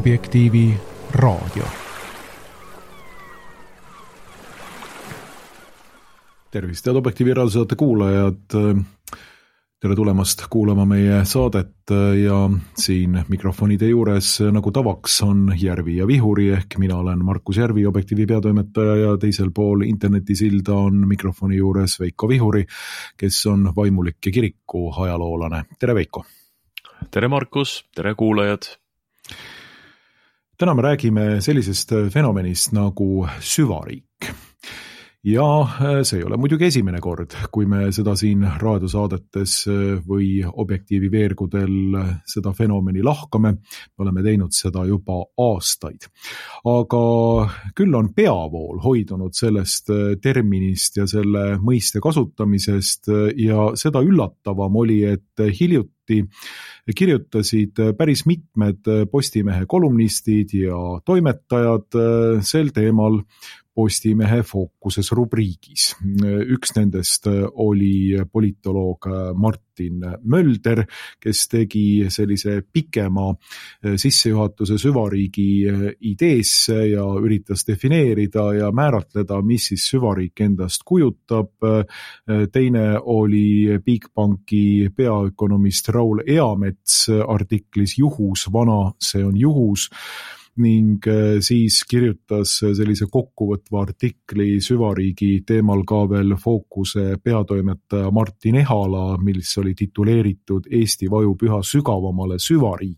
Objektiivi raadio. Tervist, head Objektiivi raadiosaate kuulajad. Tere tulemast kuulama meie saadet ja siin mikrofonide juures nagu tavaks on Järvi ja Vihuri ehk mina olen Markus Järvi, Objektiivi peatoimetaja ja teisel pool internetisilda on mikrofoni juures Veiko Vihuri, kes on vaimulik ja kiriku ajaloolane. Tere Veiko! Tere Markus, tere kuulajad! Täna me räägime sellisest fenomenist nagu süvariik. Ja see ei ole muidugi esimene kord, kui me seda siin raadiosaadetes või Objektiivi veergudel seda fenomeni lahkame. Me oleme teinud seda juba aastaid. Aga küll on peavool hoidunud sellest terminist ja selle mõiste kasutamisest ja seda üllatavam oli, et hiljuti kirjutasid päris mitmed Postimehe kolumnistid ja toimetajad sel teemal Postimehe Fookuses rubriigis. Üks nendest oli politoloog Martin Mölder, kes tegi sellise pikema sissejuhatuse süvariigi ideesse ja üritas defineerida ja määratleda, mis siis süvariik endast kujutab. Teine oli Bigbanki peaökonomist Raul Eamets artiklis Juhus, vana, see on juhus. Ning siis kirjutas sellise kokkuvõtva artikli süvariigi teemal ka veel Fookuse peatoimetaja Martin Ehala, mis oli tituleeritud Eesti vajub üha sügavamale süvariiki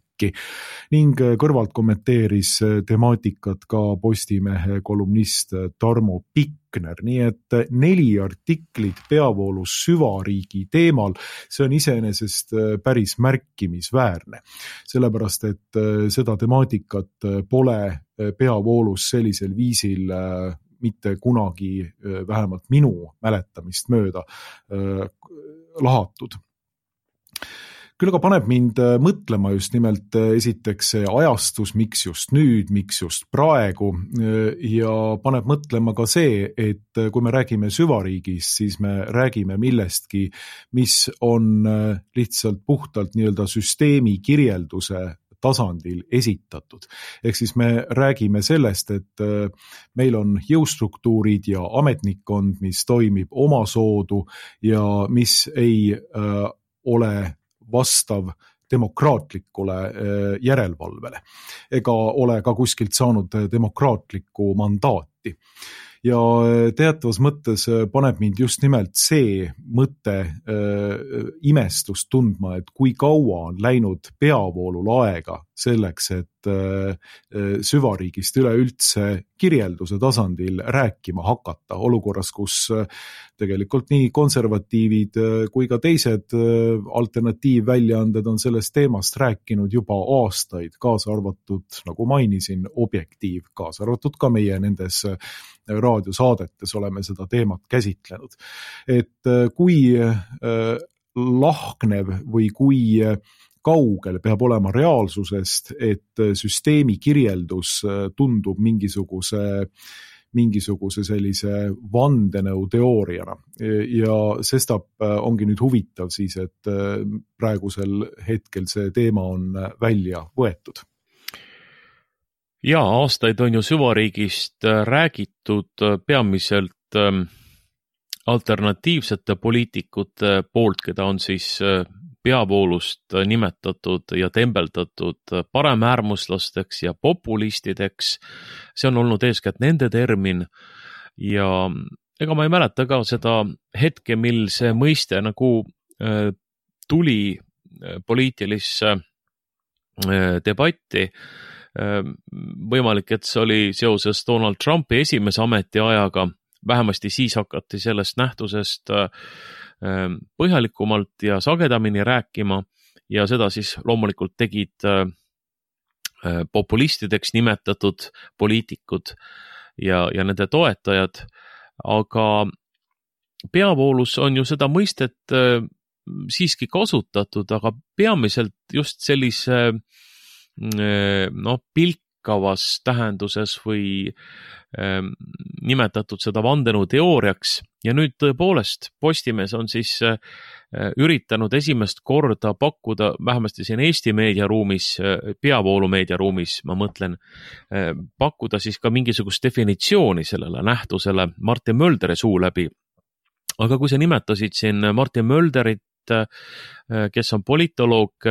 ning kõrvalt kommenteeris temaatikat ka Postimehe kolumnist Tarmo Pikner. Nii et 4 artiklit peavoolus süvariigi teemal, see on iseenesest päris märkimisväärne. Sellepärast, et seda temaatikat pole peavoolus sellisel viisil mitte kunagi, vähemalt minu mäletamist mööda, lahatud. Küll aga paneb mind mõtlema just nimelt esiteks see ajastus, miks just nüüd, miks just praegu ja paneb mõtlema ka see, et kui me räägime süvariigist, siis me räägime millestki, mis on lihtsalt puhtalt nii-öelda süsteemi kirjelduse tasandil esitatud. Ehk siis me räägime sellest, et meil on jõustruktuurid ja ametnikkond, mis toimib omasoodu ja mis ei ole vastav demokraatlikule järelevalvele ega ole ka kuskilt saanud demokraatlikku mandaati. Ja teatavas mõttes paneb mind just nimelt see mõte imestust tundma, et kui kaua on läinud peavoolul aega selleks, et süvariigist üleüldse kirjelduse tasandil rääkima hakata olukorras, kus tegelikult nii konservatiivid kui ka teised alternatiivväljaanded on sellest teemast rääkinud juba aastaid, kaasa arvatud, nagu mainisin, Objektiiv, kaasa arvatud ka meie nendes raadiosaadetes oleme seda teemat käsitlenud. Et kui lahknev või kui kaugel peab olema reaalsusest, et süsteemi kirjeldus tundub mingisuguse sellise vandenõuteooriana. Ja sestap ongi nüüd huvitav siis, et praegusel hetkel see teema on välja võetud. Ja, aastaid on ju süvariigist räägitud peamiselt alternatiivsete poliitikute poolt, keda on siis peavoolust nimetatud ja tembeldatud paremäärmuslasteks ja populistideks. See on olnud eeskätt nende termin ja ega ma ei mäleta ka seda hetke, mil see mõiste nagu tuli poliitilisse debatti. Võimalik, et see oli seoses Donald Trumpi esimese ametiajaga, vähemasti siis hakati sellest nähtusest põhjalikumalt ja sagedamini rääkima ja seda siis loomulikult tegid populistideks nimetatud poliitikud ja nende toetajad, aga peavoolus on ju seda mõistet siiski kasutatud, aga peamiselt just sellise pilk lakkavas tähenduses või nimetatud seda vandenõuteooriaks ja nüüd tõepoolest Postimees on siis üritanud esimest korda pakkuda, vähemasti siin Eesti meediaruumis, peavoolu meediaruumis, ma mõtlen, pakkuda siis ka mingisugust definitsiooni sellele nähtusele Martin Mölderi suu läbi. Aga kui sa nimetasid siin Martin Mölderit, kes on politoloog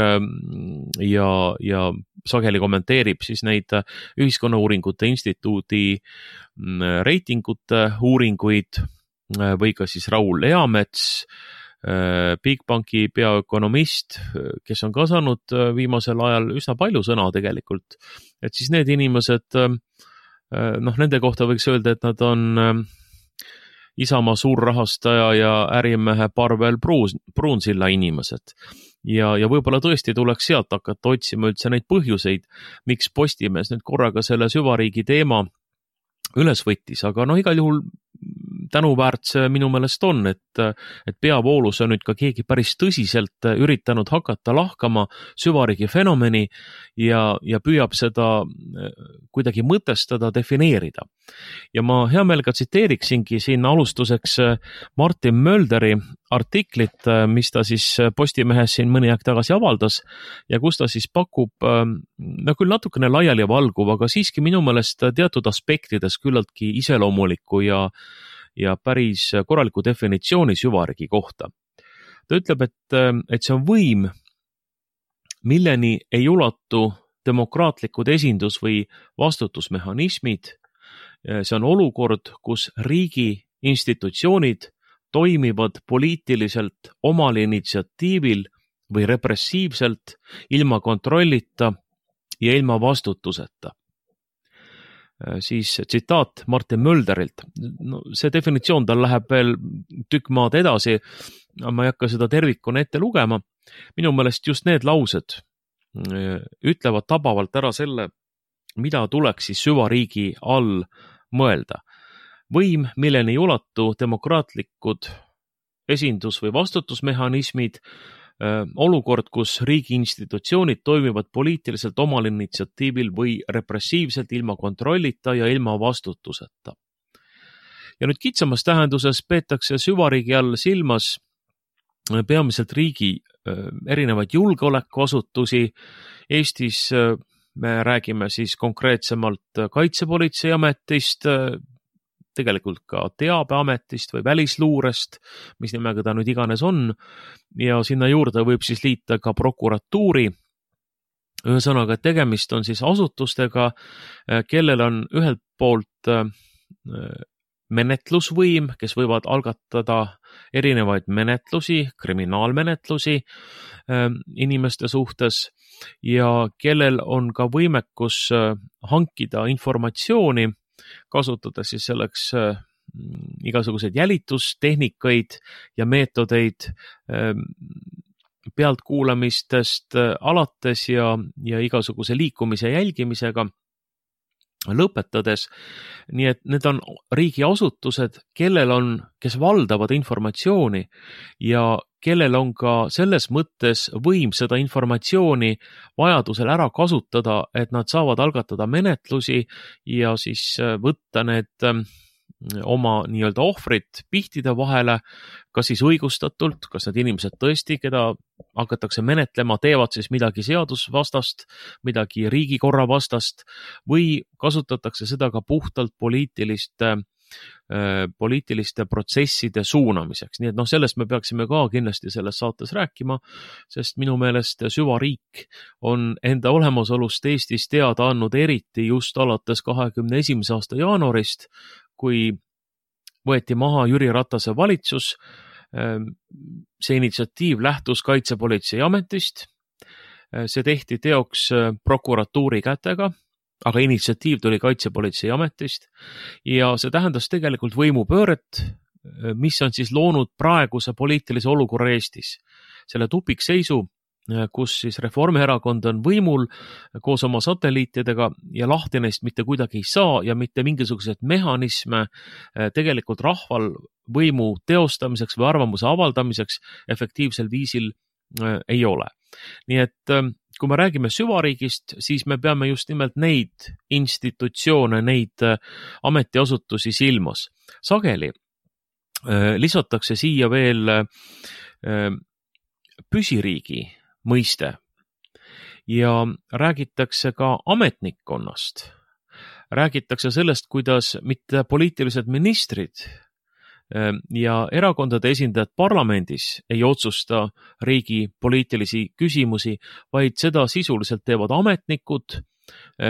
ja sageli kommenteerib siis neid Ühiskonnauuringute Instituudi reitingute uuringuid või ka siis Raul Eamets, Bigbanki peaökonomist, kes on ka saanud viimasel ajal üsna palju sõna tegelikult, et siis need inimesed, nende kohta võiks öelda, et nad on Isamaa suurrahastaja ja ärimehe Parvel Pruunsilla inimesed. Ja võib-olla tõesti tuleks sealt hakata otsima üldse neid põhjuseid, miks Postimees nüüd korraga selle süvariigi teema üles võttis, aga igal juhul tänuväärt see minu meelest on, et peavoolus on nüüd ka keegi päris tõsiselt üritanud hakata lahkama süvariigi fenomeni ja püüab seda kuidagi mõtestada, defineerida. Ja ma hea meelega tsiteeriksingi siin alustuseks Martin Mölderi artiklit, mis ta siis Postimehes siin mõni aeg tagasi avaldas ja kus ta siis pakub, küll natukene laiali valguv, aga siiski minu meelest teatud aspektides küllaltki iseloomuliku ja päris korraliku definitsiooni süvariigi kohta. Ta ütleb, et see on võim, milleni ei ulatu demokraatlikud esindus- või vastutusmehhanismid. See on olukord, kus riigi institutsioonid toimivad poliitiliselt omal initsiatiivil või repressiivselt, ilma kontrollita ja ilma vastutuseta. Siis tsitaat Martin Mölderilt. See definitsioon tal läheb veel tükk maad edasi, ma ei hakka seda tervikuna ette lugema. Minu meelest just need laused ütlevad tabavalt ära selle, mida tuleks siis süvariigi all mõelda. Võim, milleni ei ulatu demokraatlikud esindus- või vastutusmehhanismid, olukord, kus riigi institutsioonid toimivad poliitiliselt omal initsiatiivil või repressiivselt ilma kontrollita ja ilma vastutuseta. Ja nüüd kitsamas tähenduses peetakse süvariigi all silmas peamiselt riigi erinevaid julgeolekuasutusi. Eestis me räägime siis konkreetsemalt Kaitsepolitseiametist, tegelikult ka Teabeametist või Välisluurest, mis nimega ta nüüd iganes on, ja sinna juurde võib siis liita ka prokuratuuri. Ühesõnaga, et tegemist on siis asutustega, kellel on ühelt poolt menetlusvõim, kes võivad algatada erinevaid menetlusi, kriminaalmenetlusi inimeste suhtes ja kellel on ka võimekus hankida informatsiooni, kasutades siis selleks igasuguseid jälitustehnikaid ja meetodeid pealtkuulamistest alates ja igasuguse liikumise jälgimisega lõpetades. Nii et need on riigiasutused, kes valdavad informatsiooni ja kellel on ka selles mõttes võim seda informatsiooni vajadusel ära kasutada, et nad saavad algatada menetlusi ja siis võtta need oma nii-öelda ohvrid pihtide vahele, kas siis õigustatult, kas need inimesed tõesti, keda hakatakse menetlema, teevad siis midagi seadusvastast, midagi riigikorra vastast või kasutatakse seda ka puhtalt poliitiliste protsesside suunamiseks. Nii et sellest me peaksime ka kindlasti selles saates rääkima, sest minu meelest süvariik on enda olemasolust Eestis teada andnud eriti just alates 2021. aasta jaanuarist, kui võeti maha Jüri Ratase valitsus. See initsiatiiv lähtus Kaitsepolitseiametist. See tehti teoks prokuratuuri kätega, aga initsiatiiv tuli Kaitsepolitseiametist ja see tähendas tegelikult võimupööret, mis on siis loonud praeguse poliitilise olukorra Eestis. Selle tupikseisu, kus siis Reformierakond on võimul koos oma satelliitidega ja lahti neist mitte kuidagi ei saa ja mitte mingisuguseid mehhanisme tegelikult rahval võimu teostamiseks või arvamuse avaldamiseks efektiivsel viisil ei ole. Nii et kui me räägime süvariigist, siis me peame just nimelt neid institutsioone, neid ametiasutusi silmas. Sageli lisatakse siia veel püsiriigi mõiste ja räägitakse ka ametnikkonnast. Räägitakse sellest, kuidas mitte poliitilised ministrid ja erakondade esindajad parlamendis ei otsusta riigi poliitilisi küsimusi, vaid seda sisuliselt teevad ametnikud,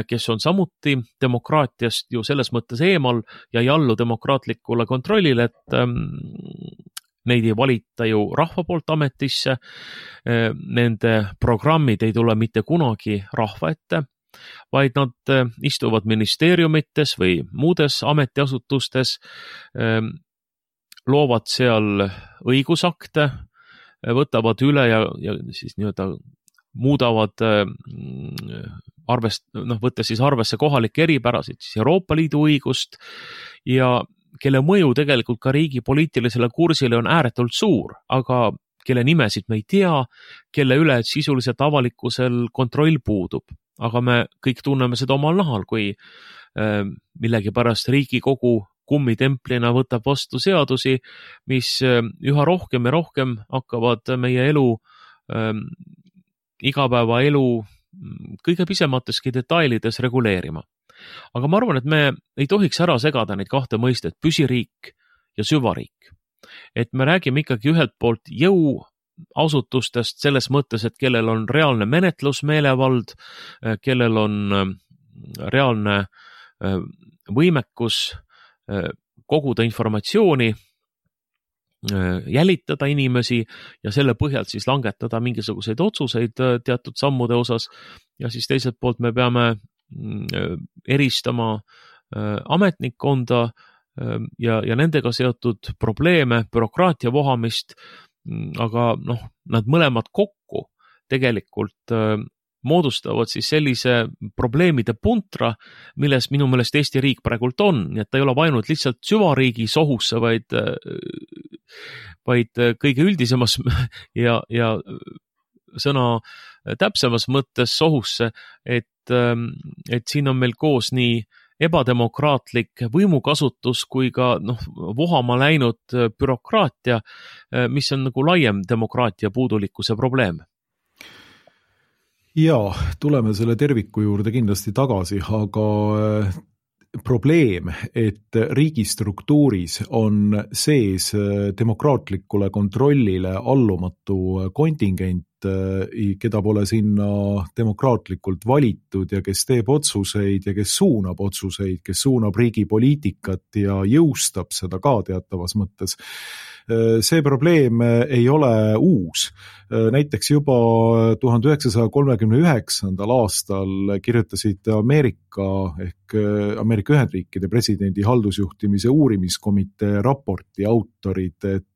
kes on samuti demokraatiast ju selles mõttes eemal ja ei allu demokraatlikule kontrollile, et neid ei valita ju rahva poolt ametisse, nende programmid ei tule mitte kunagi rahva ette, vaid nad istuvad ministeeriumites või muudes ametiasutustes, loovad seal õigusakte, võtavad üle ja siis nii-öelda muudavad võttes siis arvesse kohalikke eripärasid, siis Euroopa Liidu õigust ja kelle mõju tegelikult ka riigi poliitilisele kursile on ääretult suur, aga kelle nimesid me ei tea, kelle üle sisuliselt avalikkusel kontroll puudub. Aga me kõik tunneme seda omal nahal, kui millegipärast Riigikogu kummitemplina võtab vastu seadusi, mis üha rohkem ja rohkem hakkavad meie elu, igapäevaelu kõige pisemateski detailides reguleerima. Aga ma arvan, et me ei tohiks ära segada neid kahte mõistet, püsiriik ja süvariik. Et me räägime ikkagi ühelt poolt jõuasutustest selles mõttes, et kellel on reaalne menetlusmeelevald, kellel on reaalne võimekus koguda informatsiooni, jälitada inimesi ja selle põhjalt siis langetada mingisuguseid otsuseid teatud sammude osas ja siis teiselt poolt me peame eristama ametnikkonda ja nendega seotud probleeme, bürokraatia vohamist, aga nad mõlemad kokku tegelikult moodustavad siis sellise probleemide puntra, milles minu meelest Eesti riik praegult on, nii et ta ei ole ainult lihtsalt süvariigi sohusse, vaid kõige üldisemas ja sõna täpsemas mõttes sohusse, et siin on meil koos nii ebademokraatlik võimukasutus kui ka vohama läinud bürokraatia, mis on nagu laiem demokraatia puudulikkuse probleem. Jaa, tuleme selle terviku juurde kindlasti tagasi, aga probleem, et riigistruktuuris on sees demokraatlikule kontrollile allumatu kontingent, keda pole sinna demokraatlikult valitud ja kes teeb otsuseid ja kes suunab riigi poliitikat ja jõustab seda ka teatavas mõttes. See probleem ei ole uus. Näiteks juba 1939. aastal kirjutasid Ameerika Ühendriikide presidendi haldusjuhtimise uurimiskomitee raporti autorid, et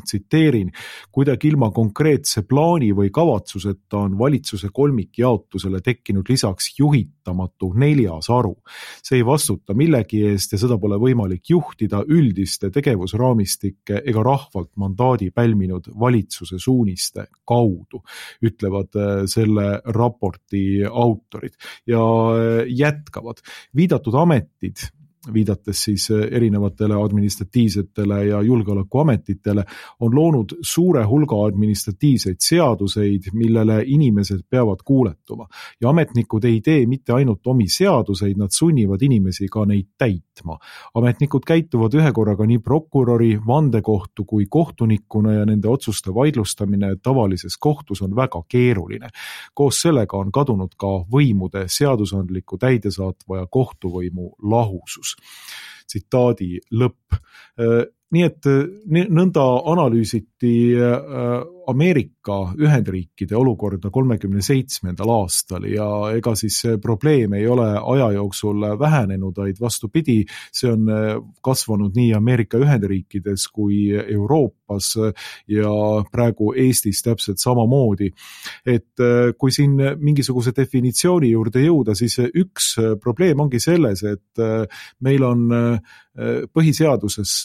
tsiteerin, kuidagi ilma konkreetse plaani või kavatsuseta on valitsuse kolmikjaotusele tekkinud lisaks juhitamatu 4. haru. See ei vastuta millegi eest ja seda pole võimalik juhtida üldiste tegevusraamistike ega rahvalt mandaadi pälminud valitsuse suuniste kaudu, ütlevad selle raporti autorid ja jätkavad. Viidatud ametid, viidates siis erinevatele administratiivsetele ja julgeolekuametitele, on loonud suure hulga administratiivseid seaduseid, millele inimesed peavad kuuletuma. Ja ametnikud ei tee mitte ainult omi seaduseid, nad sunnivad inimesi ka neid täitma. Ametnikud käituvad ühe korraga nii prokuröri, vandekohtu kui kohtunikuna ja nende otsuste vaidlustamine tavalises kohtus on väga keeruline. Koos sellega on kadunud ka võimude seadusandliku, täidesaatva ja kohtuvõimu lahusus. Tsitaadi lõpp. Nii et nõnda analüüsiti Ameerika Ühendriikide olukorda 37. aastal ja ega siis see probleem ei ole aja jooksul vähenenud, vaid vastupidi, see on kasvanud nii Ameerika Ühendriikides kui Euroopas ja praegu Eestis täpselt samamoodi. Et kui siin mingisuguse definitsiooni juurde jõuda, siis üks probleem ongi selles, et meil on põhiseaduses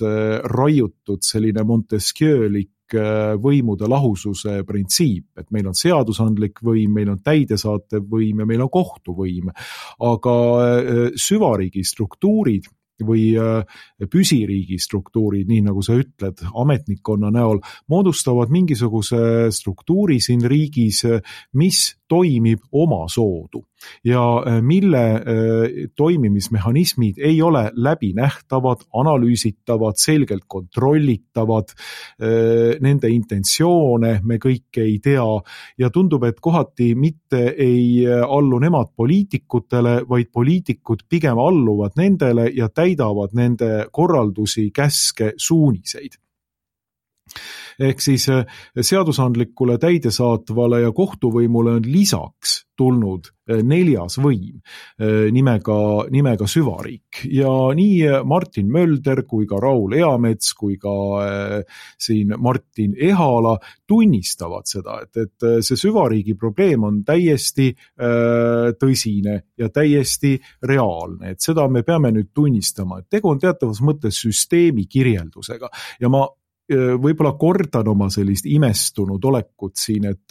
raiutud selline Montesquieu'lik võimude lahususe printsiip, et meil on seadusandlik võim, meil on täidesaatev võim ja meil on kohtuvõim, aga süvariigi struktuurid või püsiriigi struktuurid, nii nagu sa ütled, ametnikkonna näol, moodustavad mingisuguse struktuuri siin riigis, mis toimib omasoodu ja mille toimimismehhanismid ei ole läbinähtavad, analüüsitavad, selgelt kontrollitavad, nende intentsioone me kõike ei tea ja tundub, et kohati mitte ei allu nemad poliitikutele, vaid poliitikud pigem alluvad nendele ja täidavad nende korraldusi, käske, suuniseid. Ehk siis seadusandlikule, täidesaatvale ja kohtuvõimule on lisaks tulnud neljas võim nimega süvariik ja nii Martin Mölder kui ka Raul Eamets kui ka siin Martin Ehala tunnistavad seda, et see süvariigi probleem on täiesti tõsine ja täiesti reaalne, et seda me peame nüüd tunnistama, et tegu on teatavas mõttes süsteemi kirjeldusega ja ma võib-olla kordan oma sellist imestunud olekut siin, et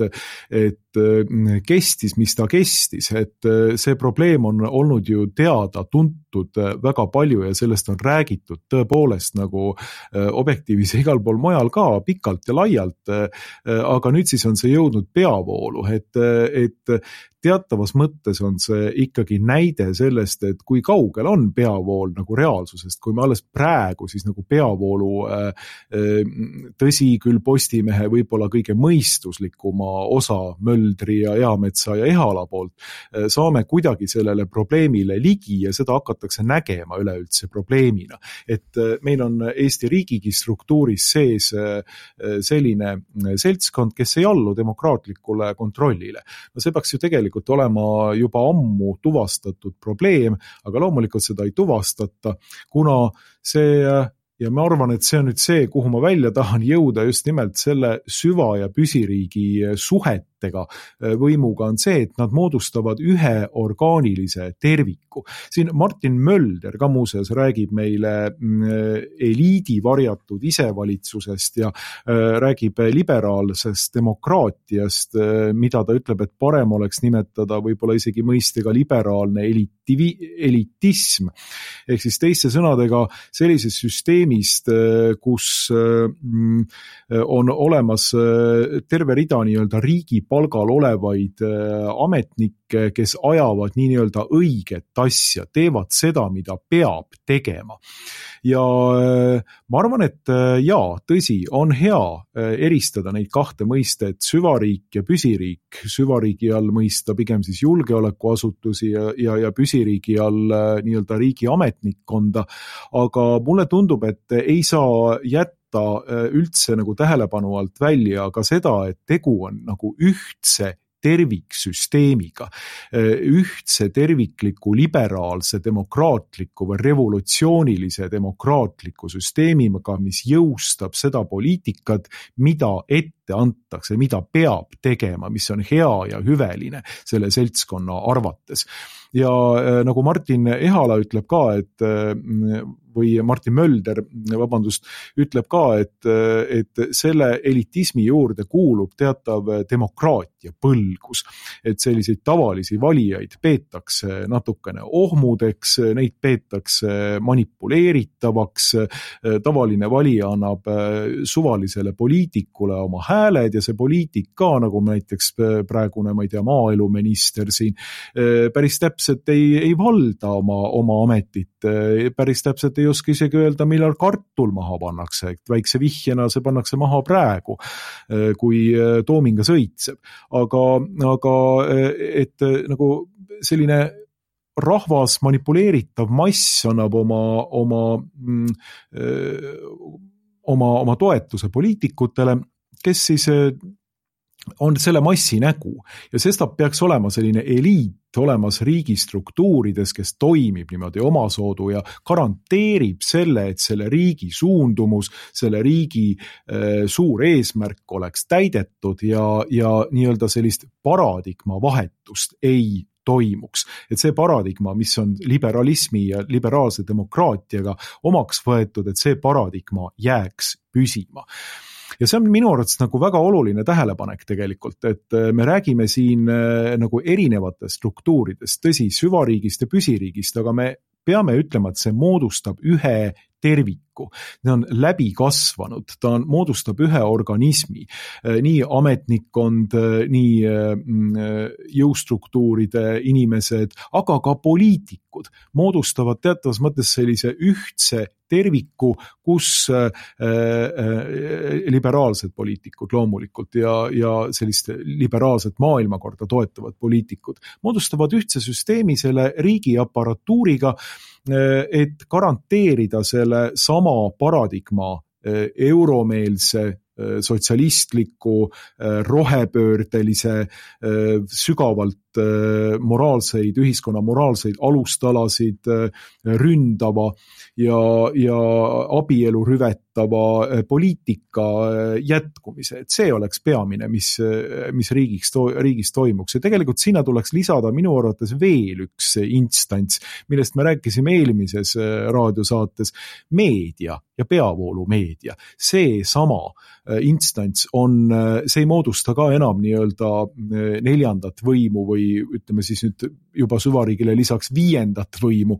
kestis, mis ta kestis, et see probleem on olnud ju teada, tuntud väga palju ja sellest on räägitud tõepoolest nagu Objektiivis ja igal pool mujal ka pikalt ja laialt, aga nüüd siis on see jõudnud peavoolu, et teatavas mõttes on see ikkagi näide sellest, et kui kaugel on peavool nagu reaalsusest, kui me alles praegu siis nagu peavoolu tõsi küll Postimehe võib-olla kõige mõistuslikuma osa Möldri ja Eametsa ja Ehala poolt saame kuidagi sellele probleemile ligi ja seda hakatakse nägema üleüldse probleemina. Et meil on Eesti riigigi struktuuris sees selline seltskond, kes ei allu demokraatlikule kontrollile. No see peaks ju tegelikult olema juba ammu tuvastatud probleem, aga loomulikult seda ei tuvastata, kuna see ja ma arvan, et see on nüüd see, kuhu ma välja tahan jõuda just nimelt selle süva- ja püsiriigi suhetega võimuga on see, et nad moodustavad ühe orgaanilise terviku. Siin Martin Mölder ka muuseas räägib meile eliidi varjatud isevalitsusest ja räägib liberaalsest demokraatiast, mida ta ütleb, et parem oleks nimetada võib-olla isegi mõistega liberaalne elitism. Ehk siis teiste sõnadega sellises süsteemist, kus on olemas terve rida nii-öelda riigi palgal olevaid ametnikke, kes ajavad nii-öelda õiget asja, teevad seda, mida peab tegema. Ja ma arvan, et tõsi, on hea eristada neid kahte mõistet, süvariik ja püsiriik. Süvariigi all mõista pigem siis julgeolekuasutusi ja püsiriigi all nii-öelda riigi ametnikkonda, aga mulle tundub, et ei saa jätta üldse nagu tähelepanu alt välja ka seda, et tegu on nagu ühtse terviksüsteemiga, ühtse tervikliku liberaalse demokraatliku või revolutsioonilise demokraatliku süsteemiga, mis jõustab seda poliitikat, mida ette antakse, mida peab tegema, mis on hea ja hüveline selle seltskonna arvates. Ja nagu Martin Ehala ütleb ka, või Martin Mölder, ütleb ka, et selle elitismi juurde kuulub teatav demokraatia põlgus, et selliseid tavalisi valijaid peetakse natukene ohmudeks, neid peetakse manipuleeritavaks, tavaline valija annab suvalisele poliitikule oma hääled ja see poliitik ka, nagu näiteks praegune, ma ei tea, maaeluminister siin, päris täpselt ei valda oma ametit, päris täpselt ei oska isegi öelda, millal kartul maha pannakse, et väikse vihjena see pannakse maha praegu, kui toominga sõitseb. Aga et nagu selline rahvas manipuleeritav mass annab oma toetuse poliitikutele, kes siis on selle massi nägu ja sestap peaks olema selline eliit olemas riigi struktuurides, kes toimib niimoodi omasoodu ja garanteerib selle, et selle riigi suundumus, selle riigi suur eesmärk oleks täidetud ja nii-öelda sellist paradigma vahetust ei toimuks. Et see paradigma, mis on liberalismi ja liberaalse demokraatiaga omaks võetud, et see paradigma jääks püsima. ja see on minu arvates nagu väga oluline tähelepanek tegelikult, et me räägime siin nagu erinevatest struktuuridest, tõsi, süvariigist ja püsiriigist, aga me peame ütlema, et see moodustab ühe terviku. Ta on läbi kasvanud, ta moodustab ühe organismi, nii ametnikkond, nii jõustruktuuride inimesed, aga ka poliitikud moodustavad teatavas mõttes sellise ühtse terviku, kus liberaalsed poliitikud loomulikult ja sellist liberaalset maailmakorda toetavad poliitikud moodustavad ühtse süsteemi selle riigi aparatuuriga, et garanteerida selle sama paradigma euromeelse, sotsialistliku, rohepöördelise, sügavalt moraalseid, ühiskonna moraalseid alustalasid ründava ja abielu rüvetava poliitika jätkumise. Et see oleks peamine, mis riigis toimuks. Ja tegelikult sinna tuleks lisada minu arvates veel üks instants, millest me rääkisime eelmises raadiosaates, meedia ja peavoolumeedia. See sama instants see ei moodusta ka enam nii-öelda neljandat võimu või ütleme siis nüüd juba süvariigile lisaks viiendat võimu,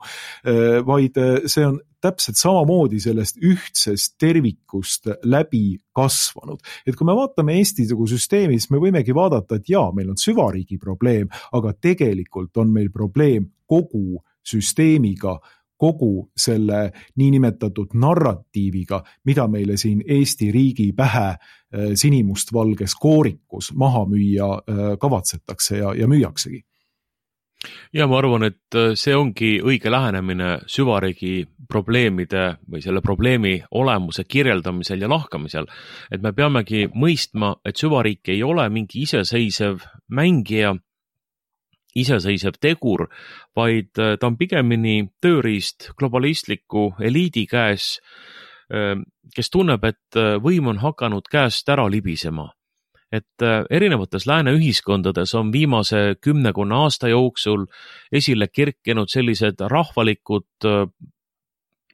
vaid see on täpselt samamoodi sellest ühtsest tervikust läbi kasvanud. Et kui me vaatame Eesti süsteemi, siis me võimegi vaadata, et jaa, meil on süvariigi probleem, aga tegelikult on meil probleem kogu süsteemiga, kogu selle niinimetatud narratiiviga, mida meile siin Eesti riigi pähe sinimustvalges koorikus maha müüa kavatsetakse ja müüaksegi. Ja ma arvan, et see ongi õige lähenemine süvariigi probleemide või selle probleemi olemuse kirjeldamisel ja lahkamisel. Et me peamegi mõistma, et süvariik ei ole mingi iseseisev mängija, iseseisev tegur, vaid ta on pigemini tööriist globalistliku eliidi käes, kes tunneb, et võim on hakanud käest ära libisema. Et erinevates lääne ühiskondades on viimase 10 aasta jooksul esile kerkinud sellised rahvalikud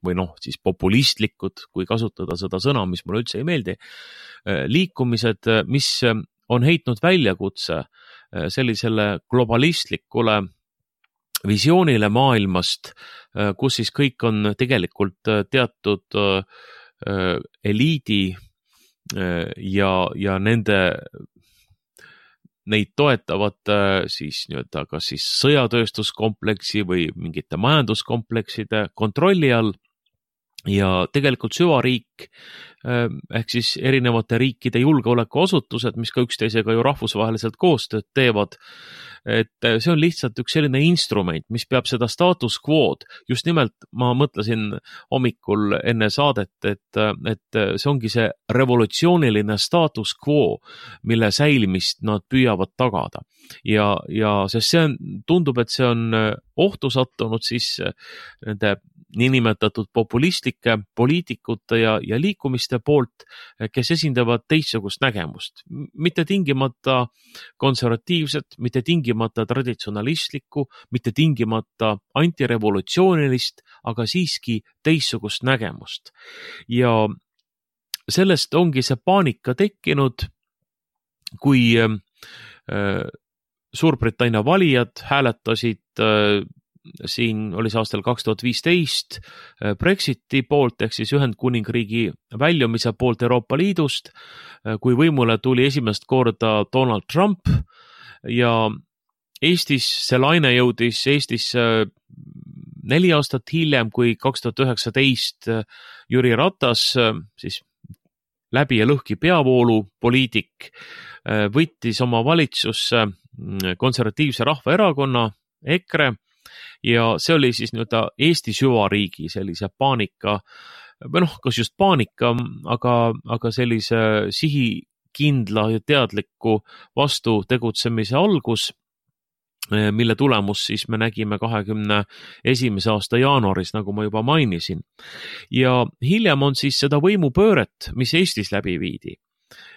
või siis populistlikud, kui kasutada seda sõna, mis mulle üldse ei meeldi, liikumised, mis on heitnud väljakutse sellisele globalistlikule visioonile maailmast, kus siis kõik on tegelikult teatud eliidi ja neid toetavad siis nii-öelda kas siis sõjatööstuskompleksi või mingite majanduskomplekside kontrolli all. Ja tegelikult süvariik ehk siis erinevate riikide julgeolekuasutused, mis ka üksteisega ju rahvusvaheliselt koostööd teevad, et see on lihtsalt üks selline instrument, mis peab seda status quo'd. Just nimelt ma mõtlesin hommikul enne saadet, et see ongi see revolutsiooniline status quo, mille säilimist nad püüavad tagada. Ja sest see tundub, et see on ohtu sattunud siis nende niinimetatud populistlike poliitikute ja liikumiste poolt, kes esindavad teistsugust nägemust. Mitte tingimata konservatiivset, mitte tingimata traditsionalistlikku, mitte tingimata antirevolutsioonilist, aga siiski teistsugust nägemust. Ja sellest ongi see paanika tekkinud, kui Suurbritannia valijad hääletasid siin oli see aastal 2015 Brexiti poolt ehk siis Ühendkuningriigi väljumise poolt Euroopa Liidust, kui võimule tuli esimest korda Donald Trump ja Eestis see laine jõudis Eestisse 4 aastat hiljem, kui 2019 Jüri Ratas, siis läbi ja lõhki peavoolu poliitik, võttis oma valitsusse konservatiivse rahvaerakonna EKRE. Ja see oli siis nii-öelda Eesti süvariigi sellise paanika, või kas just paanika, aga sellise sihikindla ja teadliku vastu tegutsemise algus, mille tulemus siis me nägime 2021. aasta jaanuaris, nagu ma juba mainisin. Ja hiljem on siis seda võimupööret, mis Eestis läbi viidi.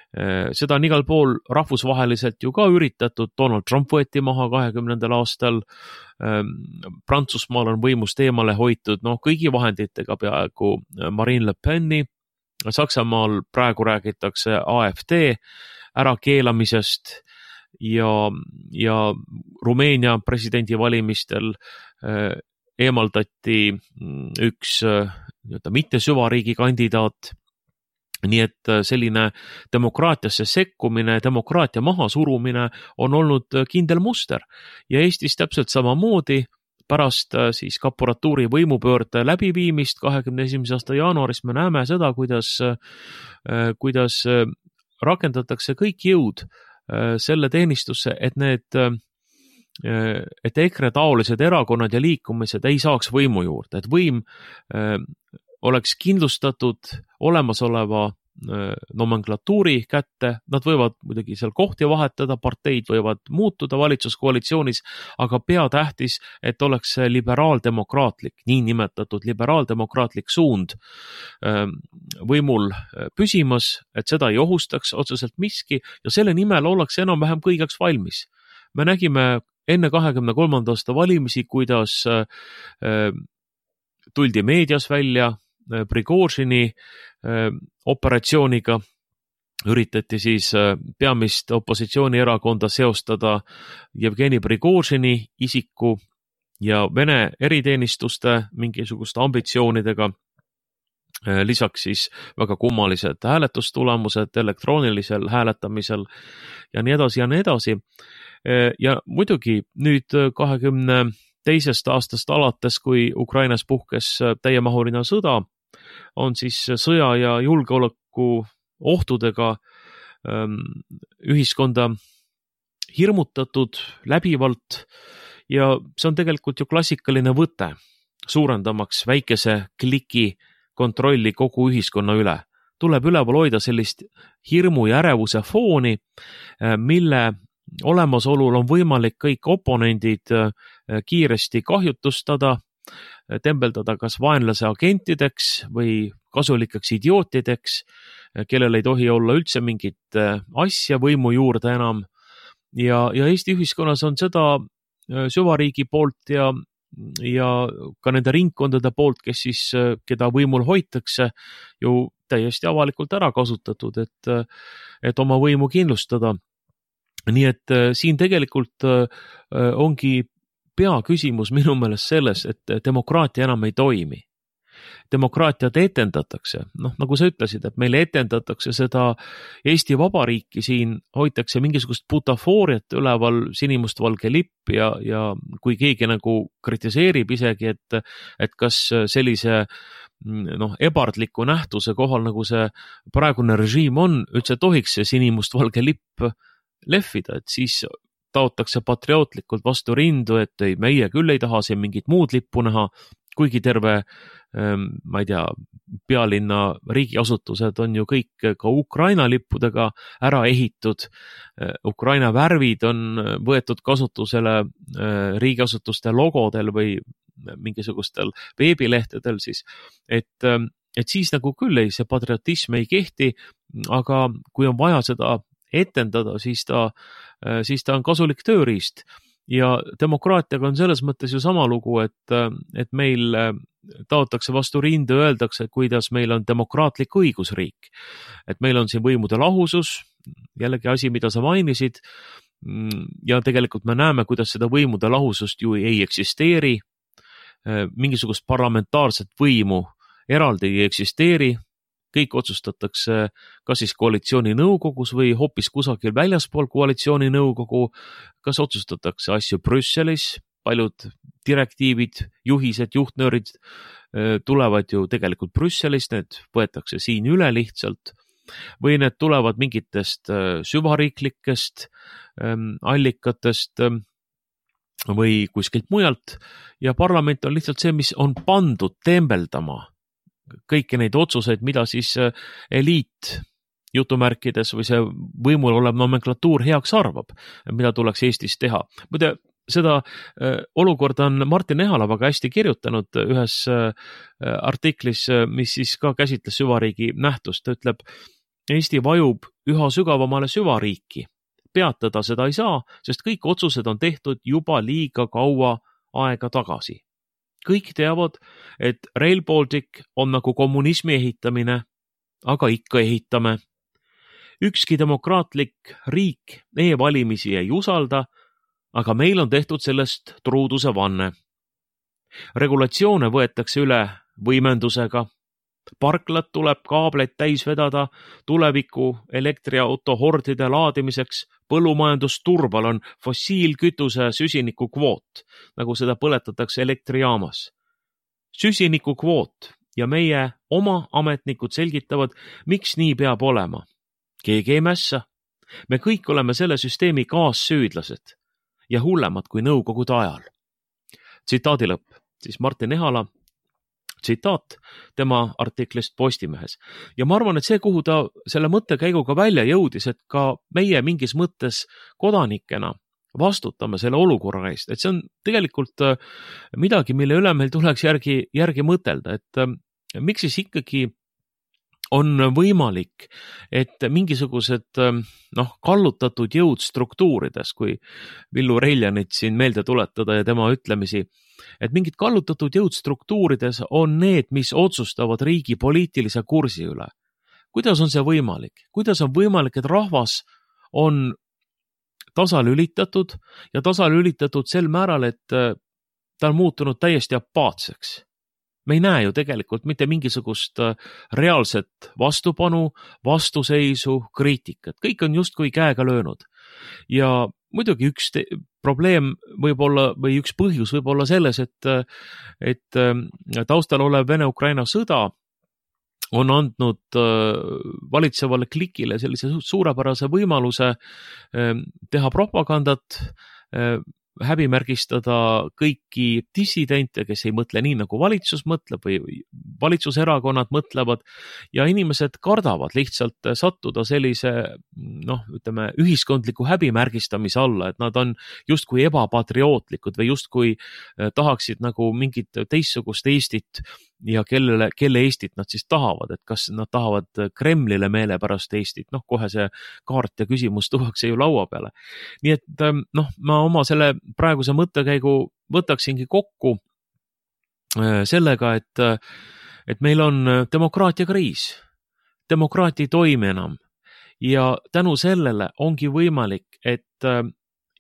Seda on igal pool rahvusvaheliselt ju ka üritatud, Donald Trump võeti maha 2020. aastal, Prantsusmaal on võimust eemale hoitud kõigi vahenditega peaaegu Marine Le Peni, Saksamaal praegu räägitakse AfD ärakeelamisest ja Rumeenia presidendivalimistel eemaldati üks mitte süvariigi kandidaat. Nii et selline demokraatiasse sekkumine, demokraatia mahasurumine on olnud kindel muster ja Eestis täpselt samamoodi pärast siis kaporatuuri võimupöörde läbiviimist 21. aasta jaanuaris me näeme seda, kuidas rakendatakse kõik jõud selle teenistusse, et EKRE taolised erakonnad ja liikumised ei saaks võimu juurde, et võim oleks kindlustatud olemasoleva nomenklatuuri kätte, nad võivad muidugi seal kohti vahetada, parteid võivad muutuda valitsuskoalitsioonis, aga peatähtis, et oleks liberaaldemokraatlik, niinimetatud liberaaldemokraatlik suund võimul püsimas, et seda ei ohustaks otseselt miski ja selle nimel ollakse enam-vähem kõigeks valmis. Me nägime enne 23. aasta valimisi, kuidas tuldi meedias välja Prigožini operatsiooniga, üritati siis peamist opositsioonierakonda seostada Jevgeni Prigožini isiku ja Vene eriteenistuste mingisuguste ambitsioonidega. Lisaks siis väga kummalised hääletustulemused elektroonilisel hääletamisel ja nii edasi ja nii edasi. Ja muidugi nüüd 22. aastast alates, kui Ukrainas puhkes täiemahuline sõda, on siis sõja ja julgeoleku ohtudega ühiskonda hirmutatud läbivalt ja see on tegelikult ju klassikaline võte, suurendamaks väikese kliki kontrolli kogu ühiskonna üle. Tuleb üleval hoida sellist hirmu ja ärevuse fooni, mille olemasolul on võimalik kõik oponendid kiiresti kahjutustada, tembeldada kas vaenlase agentideks või kasulikeks idiootideks, kellel ei tohi olla üldse mingit asja võimu juurde enam. Ja Eesti ühiskonnas on seda süvariigi poolt ja ka nende ringkondade poolt, kes siis, keda võimul hoitakse, ju täiesti avalikult ära kasutatud, et oma võimu kindlustada. Nii et siin tegelikult ongi peaküsimus minu meelest selles, et demokraatia enam ei toimi. Demokraatiat etendatakse, nagu sa ütlesid, et meile etendatakse seda Eesti Vabariiki, siin hoitakse mingisugust butafooriat üleval, sinimustvalge lipp ja kui keegi nagu kritiseerib isegi, et kas sellise ebardliku nähtuse kohal, nagu see praegune režiim on, üldse tohiks see sinimustvalge lipp lehvida, et siis taotakse patriootlikult vastu rindu, et ei, meie küll ei taha siin mingit muud lippu näha, kuigi terve, ma ei tea, pealinna riigiasutused on ju kõik ka Ukraina lippudega ära ehitud. Ukraina värvid on võetud kasutusele riigiasutuste logodel või mingisugustel veebilehtedel siis, et siis nagu küll see patriotism ei kehti, aga kui on vaja seda etendada, siis ta on kasulik tööriist. Ja demokraatiaga on selles mõttes ju sama lugu, et meil taotakse vastu rindu, öeldakse, kuidas meil on demokraatlik õigusriik. Et meil on siin võimude lahusus, jällegi asi, mida sa mainisid, ja tegelikult me näeme, kuidas seda võimude lahusust ju ei eksisteeri. Mingisugust parlamentaarset võimu eraldi ei eksisteeri. Kõik otsustatakse kas siis koalitsiooni nõukogus või hoopis kusagil väljaspool koalitsiooni nõukogu, kas otsustatakse asju Brüsselis, paljud direktiivid, juhised, juhtnöörid tulevad ju tegelikult Brüsselist, need võetakse siin üle lihtsalt või need tulevad mingitest süvariiklikest allikatest või kuskilt mujalt ja parlament on lihtsalt see, mis on pandud tembeldama kõiki neid otsuseid, mida siis eliit jutumärkides või see võimul olev nomenklatuur heaks arvab, mida tuleks Eestis teha. Muide, seda olukorda on Martin Ehala väga hästi kirjutanud ühes artiklis, mis siis ka käsitles süvariigi nähtust. Ta ütleb, Eesti vajub üha sügavamale süvariiki. Peatada seda ei saa, sest kõik otsused on tehtud juba liiga kaua aega tagasi. Kõik teavad, et Rail Baltic on nagu kommunismi ehitamine aga ikka ehitame. Ükski demokraatlik riik e-valimisi ei usalda, aga meil on tehtud sellest truuduse vanne. Regulatsioone võetakse üle võimendusega. Parklad tuleb kaableid täis vedada tuleviku elektriauto hordide laadimiseks. Põllumajandusturbal on fossiilkütuse süsiniku kvoot, nagu seda põletatakse elektrijaamas. Süsiniku kvoot ja meie oma ametnikud selgitavad, miks nii peab olema. Keegi ei mässa. Me kõik oleme selle süsteemi kaassüüdlased ja hullemad kui nõukogude ajal. Tsitaadi lõpp, siis Martin Ehala tsitaat tema artiklist Postimehes. Ja ma arvan, et see, kuhu ta selle mõttekäiguga välja jõudis, et ka meie mingis mõttes kodanikena vastutame selle olukorra eest, et see on tegelikult midagi, mille üle meil tuleks järgi mõtelda, et miks siis ikkagi on võimalik, et mingisugused kallutatud jõud struktuurides, kui Villu Reljanit siin meelde tuletada ja tema ütlemisi, et mingid kallutatud jõud struktuurides on need, mis otsustavad riigi poliitilise kursi üle. Kuidas on see võimalik? Kuidas on võimalik, et rahvas on tasalülitatud ja tasalülitatud sel määral, et ta on muutunud täiesti apaatseks? Me ei näe ju tegelikult mitte mingisugust reaalset vastupanu, vastuseisu, kriitikat. Kõik on justkui käega löönud. Ja muidugi üks probleem võib olla või üks põhjus võib olla selles, et taustal olev Vene-Ukraina sõda on andnud valitsevale klikile sellise suurepärase võimaluse teha propagandat, häbimärgistada kõiki dissidente, kes ei mõtle nii, nagu valitsus mõtleb või valitsuserakonnad mõtlevad ja inimesed kardavad lihtsalt sattuda sellise, ühiskondliku häbimärgistamise alla, et nad on justkui ebapatriootlikud või justkui tahaksid nagu mingit teistsugust Eestit ja kelle Eestit nad siis tahavad, et kas nad tahavad Kremlile meelepärast Eestit, kohe see kaart ja küsimus tuuakse ju laua peale. Nii et ma oma selle praeguse mõttekäigu võtaksingi kokku sellega, et meil on demokraatia kriis, demokraatia ei toimi enam ja tänu sellele ongi võimalik, et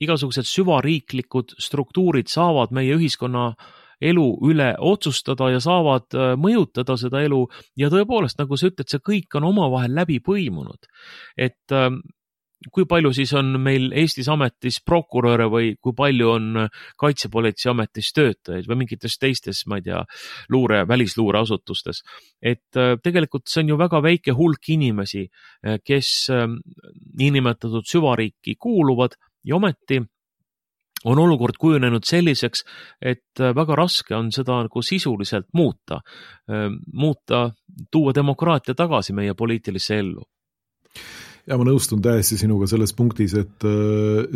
igasugused süvariiklikud struktuurid saavad meie ühiskonna elu üle otsustada ja saavad mõjutada seda elu ja tõepoolest, nagu sa ütled, see kõik on omavahel läbi põimunud. Et kui palju siis on meil Eestis ametis prokuröre või kui palju on kaitsepolitsei ametis töötajaid või mingites teistes, ma ei tea, välisluureasutustes. Et tegelikult see on ju väga väike hulk inimesi, kes niinimetatud süvariiki kuuluvad ja ometi on olukord kujunenud selliseks, et väga raske on seda nagu sisuliselt muuta, tuua demokraatia tagasi meie poliitilisse ellu. Ja ma nõustun täiesti sinuga selles punktis, et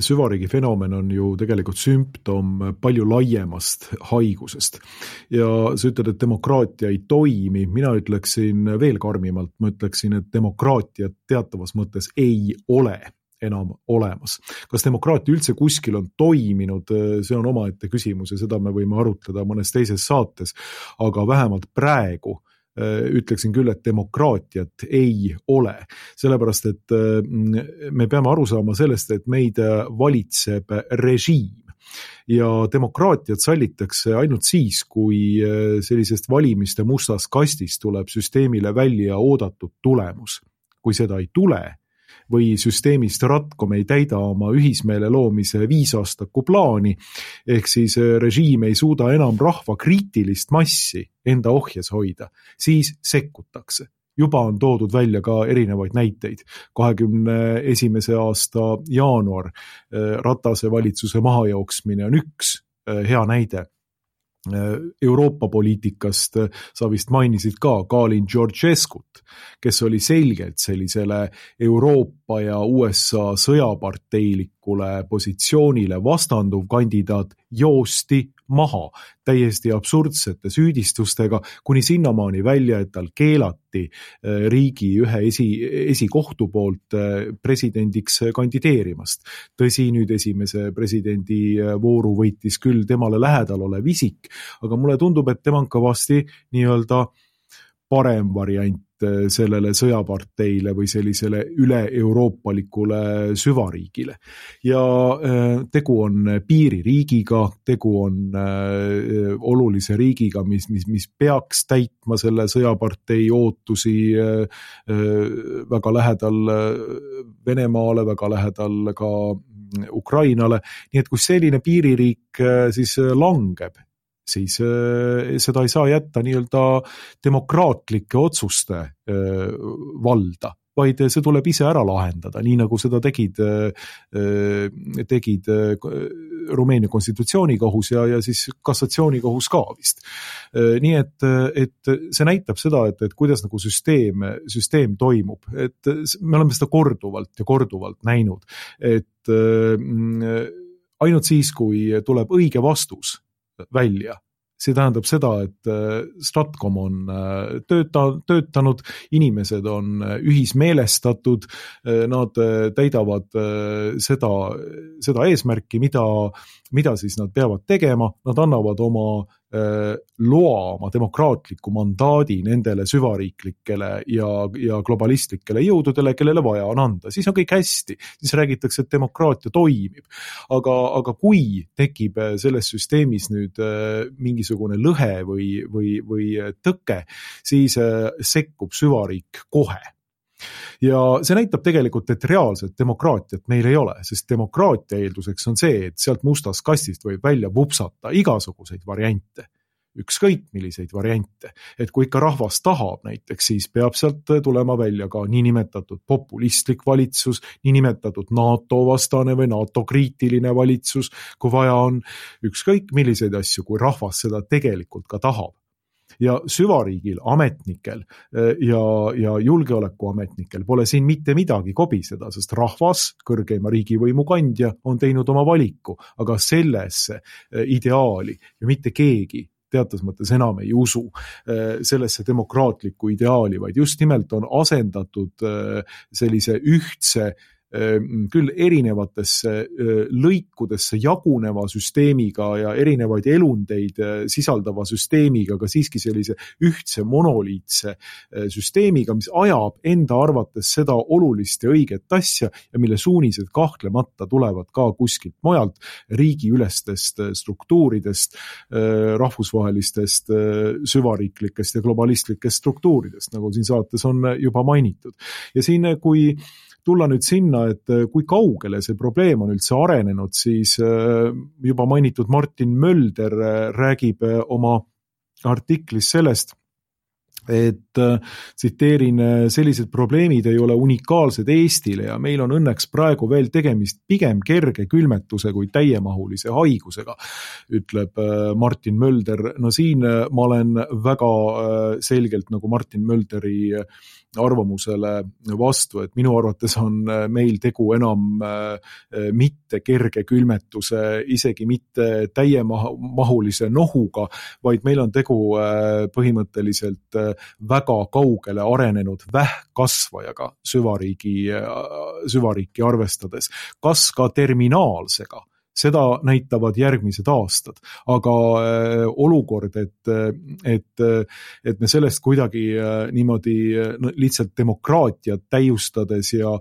süvariigi fenomen on ju tegelikult sümptom palju laiemast haigusest. Ja sa ütled, et demokraatia ei toimi, mina ütleksin veel karmimalt, ma ütleksin, et demokraatia teatavas mõttes ei ole enam olemas. Kas demokraatia üldse kuskil on toiminud, see on omaette küsimus ja seda me võime arutleda mõnes teises saates, aga vähemalt praegu ütleksin küll, et demokraatiat ei ole. Sellepärast, et me peame aru saama sellest, et meid valitseb režiim. Ja demokraatiat sallitakse ainult siis, kui sellisest valimiste mustast kastist tuleb süsteemile välja oodatud tulemus. Kui seda ei tule, või süsteemist ratkom ei täida oma ühismeele loomise 5-aastaku plaani, ehk siis režiim ei suuda enam rahva kriitilist massi enda ohjes hoida, siis sekkutakse. Juba on toodud välja ka erinevaid näiteid. 21. aasta jaanuar Ratase valitsuse mahajooksmine on üks hea näide. Euroopa poliitikast sa vist mainisid ka Kalin Georgescut, kes oli selgelt sellisele Euroopa ja USA sõjaparteilikule positsioonile vastanduv kandidaat, joosti maha täiesti absurdsete süüdistustega, kuni sinnamaani välja, et tal keelati riigi ühe esikohtu poolt presidendiks kandideerimast. Tõsi, nüüd esimese presidendi vooru võitis küll temale lähedal olev isik, aga mulle tundub, et tema on kõvasti nii-öelda parem variant sellele sõjaparteile või sellisele üle-euroopalikule süvariigile. Ja tegu on piiririigiga, tegu on olulise riigiga, mis peaks täitma selle sõjapartei ootusi väga lähedal Venemaale, väga lähedal ka Ukrainale, nii et kui selline piiririik siis langeb, siis seda ei saa jätta nii-öelda demokraatlike otsuste valda, vaid see tuleb ise ära lahendada, nii nagu seda tegid Rumeenia konstitutsioonikohus ja siis kassatsioonikohus ka vist. Nii et see näitab seda, et kuidas nagu süsteem toimub, et me oleme seda korduvalt näinud, et ainult siis, kui tuleb õige vastus välja, see tähendab seda, et Stratcom on töötanud, inimesed on ühismeelestatud, nad täidavad seda eesmärki, mida siis nad peavad tegema, nad annavad oma loa, oma demokraatliku mandaadi nendele süvariiklikele ja globalistlikele jõududele, kellele vaja on anda. Siis on kõik hästi, siis räägitakse, et demokraatia toimib. Aga kui tekib selles süsteemis nüüd mingisugune lõhe või tõke, siis sekkub süvariik kohe. Ja see näitab tegelikult, et reaalset demokraatiat meil ei ole, sest demokraatia eelduseks on see, et sealt mustast kastist võib välja vupsata igasuguseid variante, ükskõik milliseid variante. Et kui ikka rahvas tahab näiteks, siis peab sealt tulema välja ka niinimetatud populistlik valitsus, niinimetatud NATO vastane või NATO kriitiline valitsus, kui vaja on ükskõik milliseid asju, kui rahvas seda tegelikult ka tahab. Ja süvariigil, ametnikel ja julgeolekuametnikel pole siin mitte midagi kobiseda, sest rahvas, kõrgeima riigivõimu kandja, on teinud oma valiku, aga sellesse ideaali ja mitte keegi teatud mõttes enam ei usu sellesse demokraatlikku ideaali, vaid just nimelt on asendatud sellise ühtse küll erinevatesse lõikudesse jaguneva süsteemiga ja erinevaid elundeid sisaldava süsteemiga, aga siiski sellise ühtse monoliitse süsteemiga, mis ajab enda arvates seda olulist ja õiget asja ja mille suunised kahtlemata tulevad ka kuskilt mujalt, riigiülestest struktuuridest, rahvusvahelistest süvariiklikest ja globalistlikest struktuuridest, nagu siin saates on juba mainitud. Ja siin, kui tulla nüüd sinna, et kui kaugele see probleem on üldse arenenud, siis juba mainitud Martin Mölder räägib oma artiklis sellest, et tsiteerin, sellised probleemid ei ole unikaalsed Eestile ja meil on õnneks praegu veel tegemist pigem kerge külmetuse kui täiemahulise haigusega, ütleb Martin Mölder. No siin ma olen väga selgelt nagu Martin Mölderi arvamusele vastu, et minu arvates on meil tegu enam mitte kerge külmetuse, isegi mitte täiemahulise nohuga, vaid meil on tegu põhimõtteliselt väga kaugele arenenud vähkkasvajaga süvariiki arvestades, kas ka terminaalsega. Seda näitavad järgmised aastad, aga olukord, et me sellest kuidagi niimoodi lihtsalt demokraatiat täiustades ja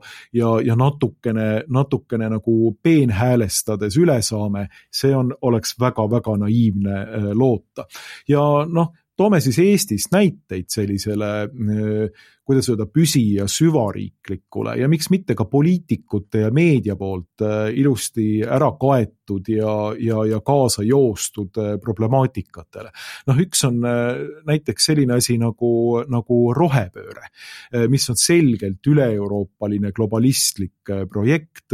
natukene nagu peenhäälestades üle saame, see oleks väga-väga naiivne loota. Ja toome siis Eestist näiteid sellisele, kuidas öelda, püsi- ja süvariiklikule ja miks mitte ka poliitikute ja meedia poolt ilusti ära kaetud ja kaasa joostud problemaatikatele. Üks on näiteks selline asi nagu rohepööre, mis on selgelt üle-euroopaline globalistlik projekt,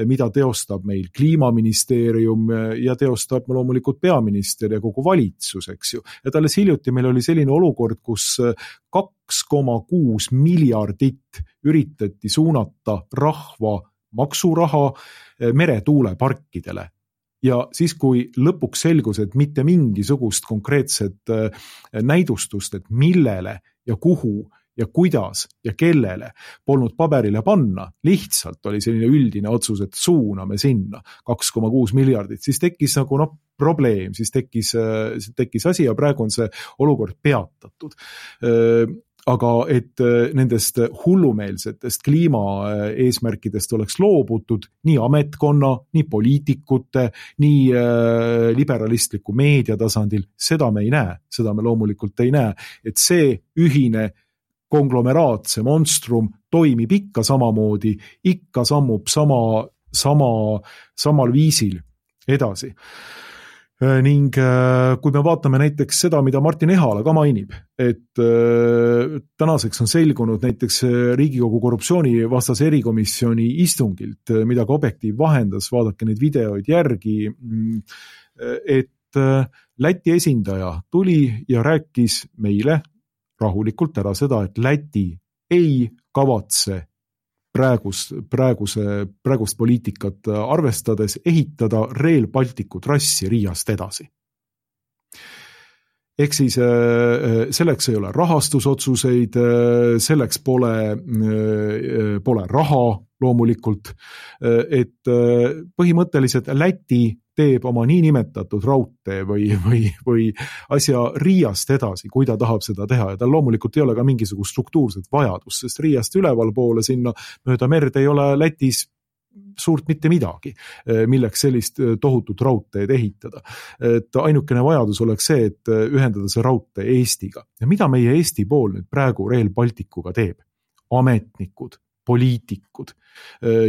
mida teostab meil Kliimaministeerium ja teostab loomulikult peaminister ja kogu valitsus, eks ju. Et alles hiljuti meil oli selline olukord, kus 2,6 miljardit üritati suunata rahva maksuraha meretuuleparkidele. Ja siis, kui lõpuks selgus, et mitte mingisugust konkreetset näidustust, et millele ja kuhu ja kuidas ja kellele polnud paberile panna, lihtsalt oli selline üldine otsus, et suuname sinna 2,6 miljardit, siis tekkis nagu probleem, siis tekkis asi ja praegu on see olukord peatatud. aga et nendest hullumeelsetest kliimaeesmärkidest oleks loobutud nii ametkonna, nii poliitikute, nii liberalistliku meedia tasandil, seda me ei näe, seda me loomulikult ei näe, et see ühine konglomeraat, see monstrum toimib ikka samamoodi, ikka sammub samal viisil edasi. Ning kui me vaatame näiteks seda, mida Martin Ehala ka mainib, et tänaseks on selgunud näiteks Riigikogu korruptsioonivastase erikomisjoni istungilt, mida ka Objektiiv vahendas, vaadake neid videoid järgi, et Läti esindaja tuli ja rääkis meile rahulikult ära seda, et Läti ei kavatse praegust poliitikat arvestades ehitada Rail Balticu trassi Riiast edasi. Ehk siis selleks ei ole rahastusotsuseid, selleks pole raha loomulikult, et põhimõtteliselt Läti teeb oma niinimetatud raudtee või asja Riiast edasi, kui ta tahab seda teha ja tal loomulikult ei ole ka mingisugust struktuurset vajadust, sest Riiast üleval poole sinna mööda merd ei ole Lätis suurt mitte midagi, milleks sellist tohutut raudteed ehitada. Et ainukene vajadus oleks see, et ühendada see raudtee Eestiga. Ja mida meie Eesti pool nüüd praegu Rail Balticuga teeb? Ametnikud, poliitikud,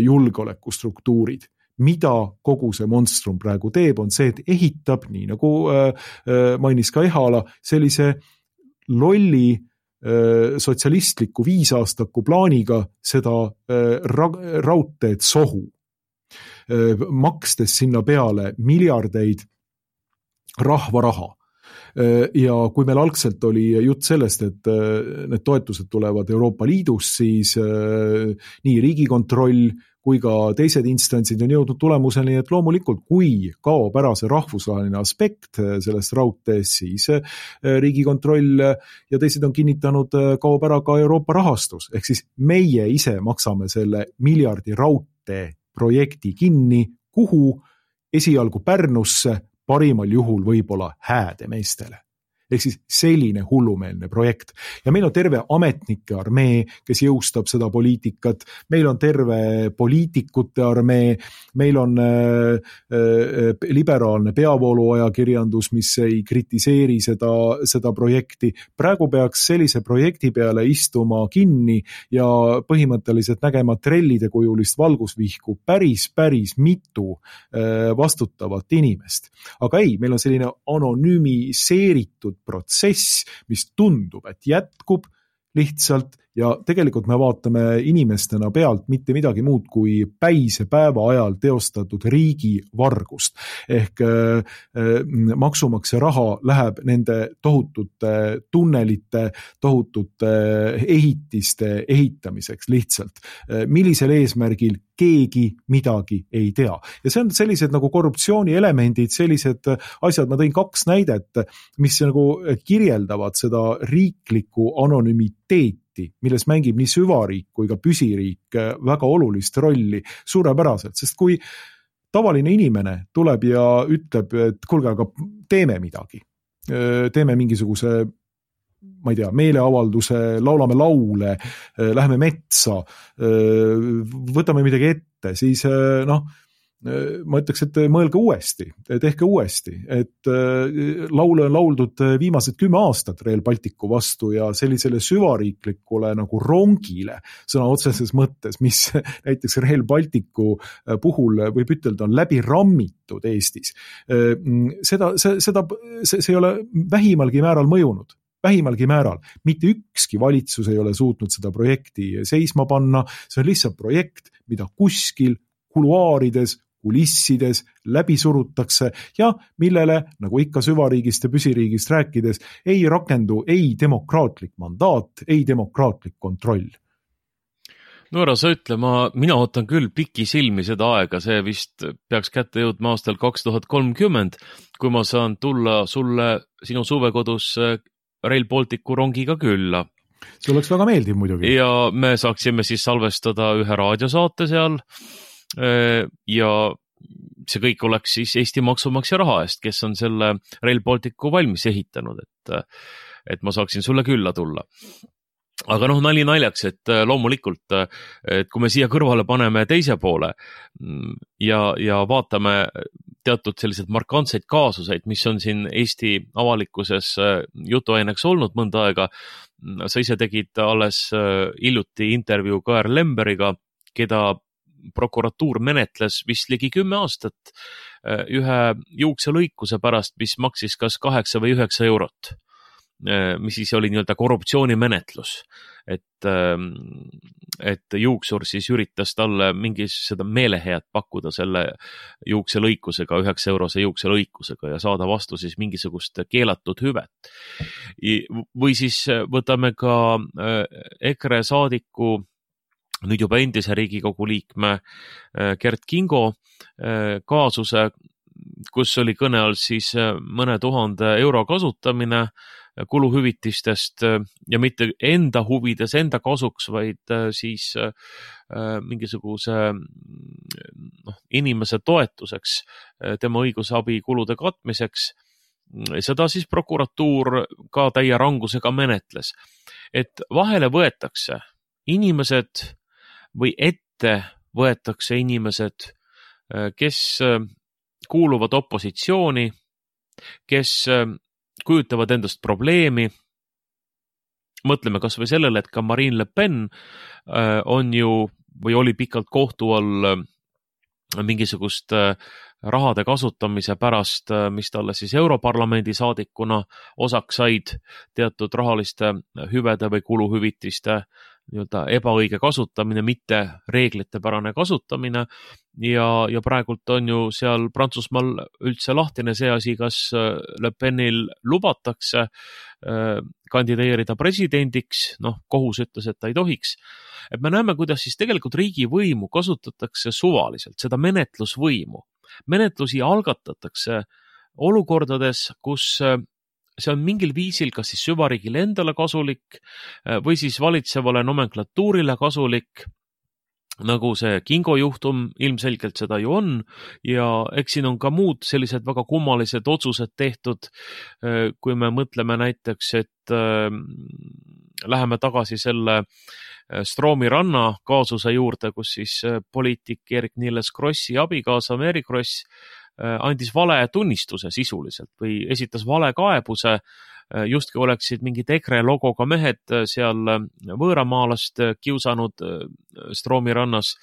julgeolekustruktuurid. Mida kogu see monstrum praegu teeb, on see, et ehitab, nii nagu mainis ka Ehala, sellise lolli sotsialistliku 5-aastaku plaaniga seda raudteed sohu, makstes sinna peale miljardeid rahvaraha. Ja kui meil algselt oli jutt sellest, et need toetused tulevad Euroopa Liidust, siis nii Riigikontroll kui ka teised instantsid on jõudnud tulemuseni, et loomulikult kui kaob ära see rahvusvaheline aspekt sellest raudteest, siis Riigikontroll ja teised on kinnitanud, kaob ära ka Euroopa rahastus. Ehk siis meie ise maksame selle miljardi raudtee projekti kinni, kuhu esialgu Pärnusse, parimal juhul võib-olla Häädemeestele. Ehk siis selline hullumeelne projekt. Ja meil on terve ametnike armee, kes jõustab seda poliitikat, meil on terve poliitikute armee, meil on liberaalne peavooluajakirjandus, mis ei kritiseeri seda projekti. Praegu peaks sellise projekti peale istuma kinni ja põhimõtteliselt nägema trellide kujulist valgusvihku päris mitu vastutavat inimest. Aga ei, meil on selline anonüümiseeritud protsess, mis tundub, et jätkub lihtsalt ja tegelikult me vaatame inimestena pealt mitte midagi muud kui päise päeva ajal teostatud riigivargust. Ehk maksumaksja raha läheb nende tohutute tunnelite, tohutute ehitiste ehitamiseks lihtsalt. Millisel eesmärgil keegi midagi ei tea. Ja see on sellised nagu korruptsiooni elemendid, sellised asjad, ma tõin 2 näidet, mis nagu kirjeldavad seda riiklikku anonümiteeti, milles mängib nii süvariik kui ka püsiriik väga olulist rolli suurepäraselt, sest kui tavaline inimene tuleb ja ütleb, et kuulge, aga teeme midagi, teeme mingisuguse, ma ei tea, meeleavalduse, laulame laule, läheme metsa, võtame midagi ette, siis ma ütleks, et mõelge uuesti, tehke uuesti, et laule on lauldud viimased 10 aastat Rail Balticu vastu ja sellisele süvariiklikule nagu rongile sõna otseses mõttes, mis näiteks Rail Balticu puhul võib ütelda on läbi rammitud Eestis. See ei ole vähimalgi määral mõjunud. Vähimalgi määral. Mitte ükski valitsus ei ole suutnud seda projekti seisma panna. See on lihtsalt projekt, mida kuskil kuluaarides, kulissides läbi surutakse ja millele, nagu ikka süvariigist ja püsiriigist rääkides, ei rakendu ei demokraatlik mandaat, ei demokraatlik kontroll. No ära sa ütle, mina ootan küll pikisilmi seda aega, see vist peaks kätte jõudma aastal 2030, kui ma saan tulla sulle sinu suvekodus Rail Balticu rongiga külla. See oleks väga meeldiv muidugi. Ja me saaksime siis salvestada ühe raadiosaate seal ja see kõik oleks siis Eesti maksumaksja raha eest, kes on selle Rail Balticu valmis ehitanud, et ma saaksin sulle külla tulla. aga nali naljaks, et loomulikult, et kui me siia kõrvale paneme teise poole ja vaatame teatud sellised markantseid kaasuseid, mis on siin Eesti avalikkuses jutuaineks olnud mõnda aega. Sa ise tegid alles hiljuti intervjuu Kaer Lemberiga, keda prokuratuur menetles vist ligi 10 aastat ühe juukselõikuse pärast, mis maksis kas 8 või 9 eurot. Mis siis oli nii-öelda korruptsioonimenetlus, et juuksur siis üritas talle mingis seda meelehead pakkuda selle juukselõikusega, 9 eurose juukselõikusega ja saada vastu siis mingisugust keelatud hüvet. Või siis võtame ka EKRE saadiku, nüüd juba endise Riigikogu liikme Kert Kingo kaasuse, kus oli kõne all siis mõne 1000 euro kasutamine kuluhüvitistest ja mitte enda huvides, enda kasuks, vaid siis mingisuguse inimese toetuseks, tema õigusabi kulude katmiseks. Seda siis prokuratuur ka täie rangusega menetles. Et vahele võetakse inimesed või ette võetakse inimesed, kes kuuluvad opositsiooni, kes kujutavad endast probleemi. Mõtleme kas või sellele, et ka Marine Le Pen on ju või oli pikalt kohtu all mingisugust rahade kasutamise pärast, mis talle siis Europarlamendi saadikuna osaks said, teatud rahaliste hüvede või kuluhüvitiste nii-öelda ebaõige kasutamine, mitte reeglitepärane kasutamine ja praegult on ju seal Prantsusmaal üldse lahtine see asi, kas Le Penil lubatakse kandideerida presidendiks, kohus ütles, et ta ei tohiks. Et me näeme, kuidas siis tegelikult riigivõimu kasutatakse suvaliselt, seda menetlusvõimu. Menetlusi algatatakse olukordades, kus see on mingil viisil kas siis süvariigile endale kasulik või siis valitsevale nomenklatuurile kasulik, nagu see Kingo juhtum ilmselgelt seda ju on ja eks siin on ka muud sellised väga kummalised otsused tehtud, kui me mõtleme näiteks, et läheme tagasi selle Stroomi ranna kaasuse juurde, kus siis poliitik Eerik-Niiles Krossi abikaasa Mary Kross andis vale tunnistuse sisuliselt või esitas vale kaebuse, justki oleksid mingid EKRE logoga mehed seal võõramaalast kiusanud Stroomi rannas,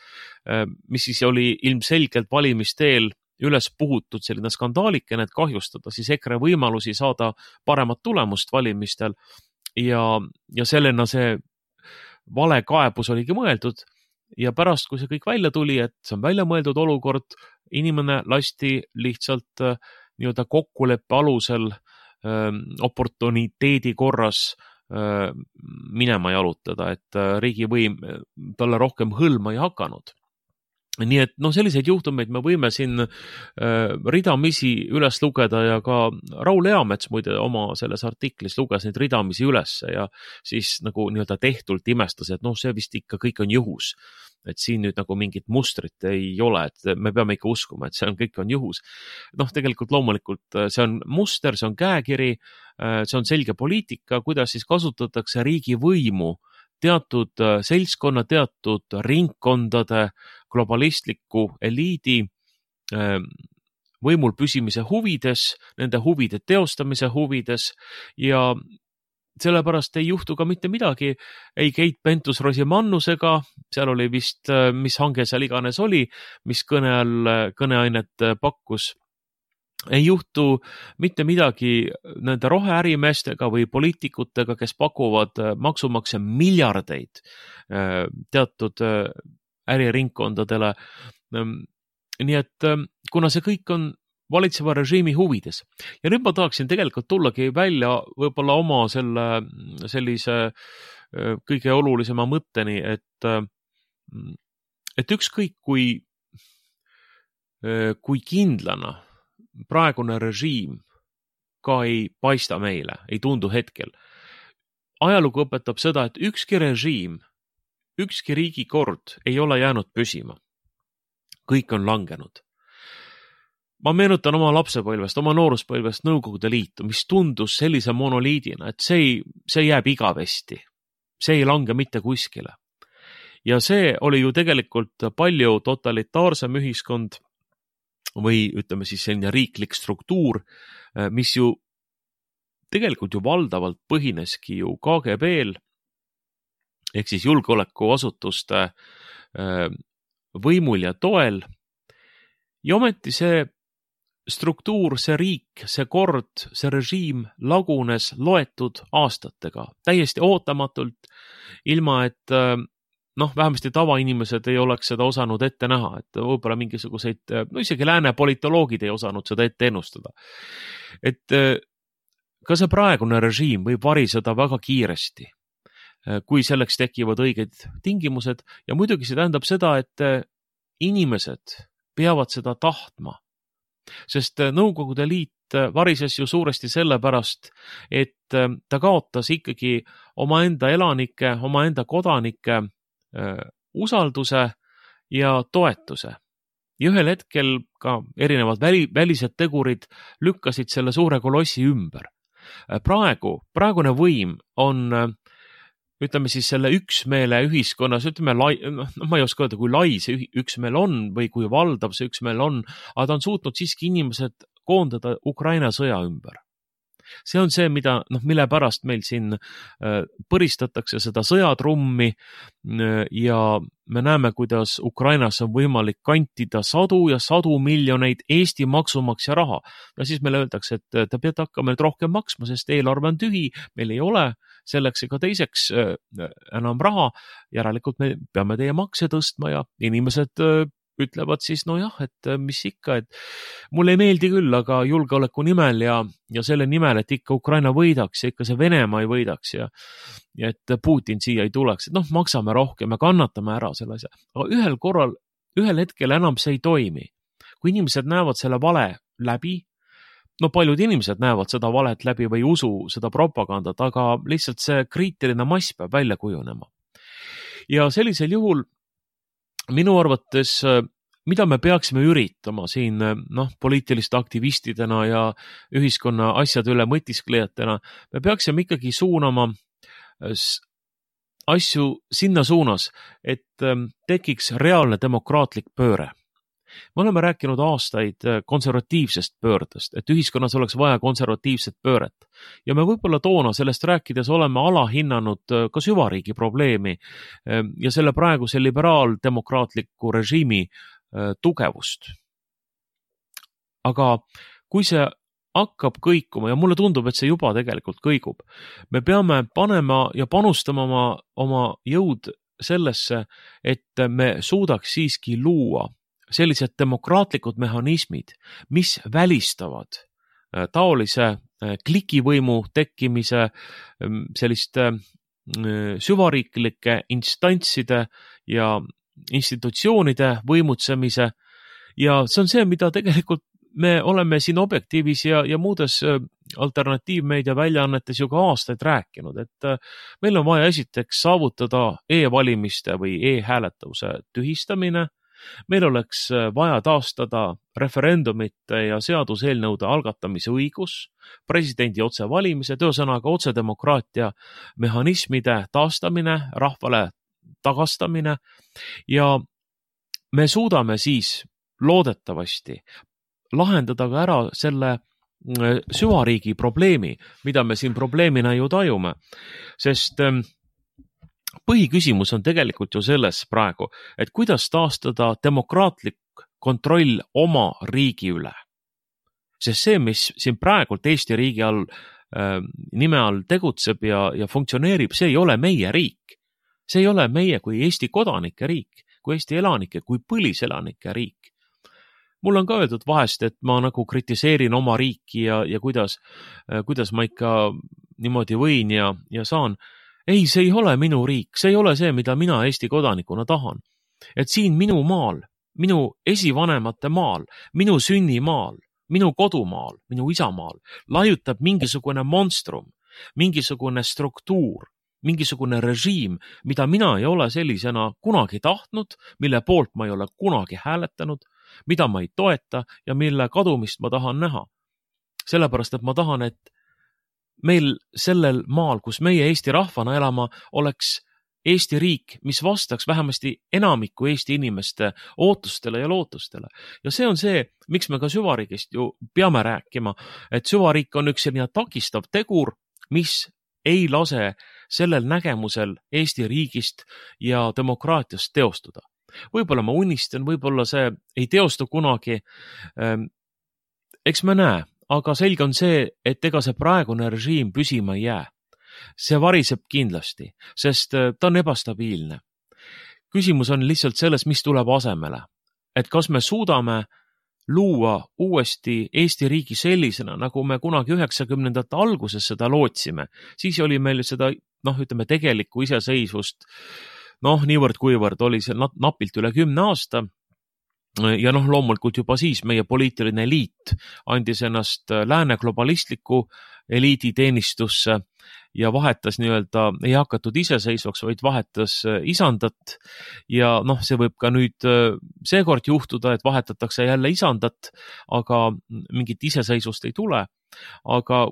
mis siis oli ilmselgelt valimisteel üles puhutud selline skandaalikene, et kahjustada siis EKRE võimalusi saada paremat tulemust valimistel ja sellena see vale kaebus oligi mõeldud. Ja pärast, kui see kõik välja tuli, et see on välja mõeldud olukord, inimene lasti lihtsalt nii-öelda kokkuleppe alusel oportuniteedi korras minema jalutada, et riigivõim talle rohkem hõlma ei hakanud. Nii et selliseid juhtumeid me võime siin ridamisi üles lugeda ja ka Raul Eamets muide oma selles artiklis luges neid ridamisi üles ja siis nagu nii-öelda tehtult imestas, et see vist ikka kõik on juhus. Et siin nüüd nagu mingit mustrit ei ole, et me peame ikka uskuma, et see on kõik on juhus. Tegelikult loomulikult see on muster, see on käekiri, see on selge poliitika, kuidas siis kasutatakse riigivõimu teatud seltskonna, teatud ringkondade, globalistliku eliidi võimul püsimise huvides, nende huvide teostamise huvides ja sellepärast ei juhtu ka mitte midagi ei Keit Pentus-Rosimannusega, seal oli vist, mis hange seal iganes oli, mis kõneainet pakkus. Ei juhtu mitte midagi nende roheärimeestega või poliitikutega, kes pakuvad maksumaksja miljardeid teatud äriringkondadele. Nii et kuna see kõik on valitseva režiimi huvides. Ja nüüd ma tahaksin tegelikult tullagi välja võib-olla oma sellise kõige olulisema mõtteni, et ükskõik kui kindlana praegune režiim ka ei paista meile, ei tundu hetkel. Ajalugu õpetab seda, et ükski režiim, ükski riigikord ei ole jäänud püsima. Kõik on langenud. Ma meenutan oma lapsepõlvest, oma nooruspõlvest Nõukogude Liitu, mis tundus sellise monoliidina, et see jääb igavesti. see ei lange mitte kuskile. Ja see oli ju tegelikult palju totalitaarsem ühiskond või ütleme siis selline riiklik struktuur, mis ju tegelikult ju valdavalt põhineski ju KGB-l ehk siis julgeolekuasutuste võimul ja toel. Ja ometi see struktuur, see riik, see kord, see režiim lagunes loetud aastatega, täiesti ootamatult, ilma et vähemasti tavainimesed ei oleks seda osanud ette näha, et võib-olla mingisuguseid, isegi lääne politoloogid ei osanud seda ette ennustada. Et ka see praegune režiim võib variseda väga kiiresti, kui selleks tekivad õiged tingimused ja muidugi see tähendab seda, et inimesed peavad seda tahtma, sest Nõukogude Liit varises ju suuresti sellepärast, et ta kaotas ikkagi omaenda elanike, omaenda kodanike usalduse ja toetuse. Ja ühel hetkel ka erinevad välised tegurid lükkasid selle suure kolossi ümber. Praegune võim on, ütleme siis selle üksmeele ühiskonnas, ütleme, ma ei oska öelda, kui lai see üksmeel on või kui valdav see üksmeel on, aga ta on suutnud siiski inimesed koondada Ukraina sõja ümber. See on see, mille pärast meil siin põristatakse seda sõjatrummi ja me näeme, kuidas Ukrainas on võimalik kantida sadu ja sadu miljoneid Eesti maksumaksja raha. Ja siis meile öeldakse, et te peate hakkama nüüd rohkem maksma, sest eelarve on tühi, meil ei ole selleks ega teiseks enam raha, järelikult me peame teie makse tõstma ja inimesed ütlevad siis, et mis ikka, et mulle ei meeldi küll, aga julgeoleku nimel ja selle nimel, et ikka Ukraina võidaks ja ikka see Venemaa ei võidaks ja et Putin siia ei tuleks, et maksame rohkem ja kannatame ära selle asja. Aga ühel hetkel enam see ei toimi. Kui inimesed näevad selle vale läbi, paljud inimesed näevad seda valet läbi või usu seda propagandat, aga lihtsalt see kriitiline mass peab välja kujunema. Ja sellisel juhul minu arvates, mida me peaksime üritama siin poliitiliste aktivistidena ja ühiskonna asjade üle mõtisklejatena, me peaksime ikkagi suunama asju sinna suunas, et tekiks reaalne demokraatlik pööre. Me oleme rääkinud aastaid konservatiivsest pöördest, et ühiskonnas oleks vaja konservatiivset pööret. Ja me võib-olla toona sellest rääkides oleme alahinnanud ka süvariigi probleemi ja selle praeguse liberaaldemokraatliku režiimi tugevust. Aga kui see hakkab kõikuma ja mulle tundub, et see juba tegelikult kõigub, me peame panema ja panustama oma jõud sellesse, et me suudaks siiski luua sellised demokraatlikud mehhanismid, mis välistavad taolise klikivõimu tekkimise, selliste süvariiklike instantside ja institutsioonide võimutsemise ja see on see, mida tegelikult me oleme siin Objektiivis ja muudes alternatiivmeedia väljaannetes ju ka aastaid rääkinud, et meil on vaja esiteks saavutada e-valimiste või e-hääletuse tühistamine. Meil oleks vaja taastada referendumite ja seaduseelnõude algatamise õigus, presidendi otsevalimised, ühesõnaga otsedemokraatia mehhanismide taastamine, rahvale tagastamine ja me suudame siis loodetavasti lahendada ka ära selle süvariigi probleemi, mida me siin probleemina ju tajume, sest põhiküsimus on tegelikult ju selles praegu, et kuidas taastada demokraatlik kontroll oma riigi üle. Sest see, mis siin praegult Eesti riigi all, nime all tegutseb ja funktsioneerib, see ei ole meie riik. See ei ole meie kui Eesti kodanike riik, kui Eesti elanike, kui põliselanike riik. Mul on ka öeldud vahest, et ma nagu kritiseerin oma riiki ja kuidas ma ikka niimoodi võin ja saan. Ei, see ei ole minu riik, see ei ole see, mida mina Eesti kodanikuna tahan. Et siin minu maal, minu esivanemate maal, minu sünnimaal, minu kodumaal, minu isamaal laiutab mingisugune monstrum, mingisugune struktuur, mingisugune režiim, mida mina ei ole sellisena kunagi tahtnud, mille poolt ma ei ole kunagi hääletanud, mida ma ei toeta ja mille kadumist ma tahan näha. Sellepärast, et ma tahan, et meil sellel maal, kus meie Eesti rahvana elama, oleks Eesti riik, mis vastaks vähemasti enamiku Eesti inimeste ootustele ja lootustele. Ja see on see, miks me ka süvariigist ju peame rääkima, et süvariik on üks selline takistav tegur, mis ei lase sellel nägemusel Eesti riigist ja demokraatiast teostuda. Võib-olla ma unistan, võib-olla see ei teostu kunagi. Eks me näe, aga selge on see, et ega see praegune režiim püsima ei jää. See variseb kindlasti, sest ta on ebastabiilne. Küsimus on lihtsalt selles, mis tuleb asemele. Et kas me suudame luua uuesti Eesti riigi sellisena, nagu me kunagi 90ndate alguses seda lootsime. Siis oli meil seda, tegelikku iseseisvust, niivõrd kuivõrd oli see napilt üle 10 aasta. Ja loomulikult juba siis meie poliitiline eliit andis ennast lääne globalistliku eliidi teenistusse ja vahetas ei hakatud iseseisvaks, vaid vahetas isandat ja see võib ka nüüd seekord juhtuda, et vahetatakse jälle isandat, aga mingit iseseisvust ei tule. Aga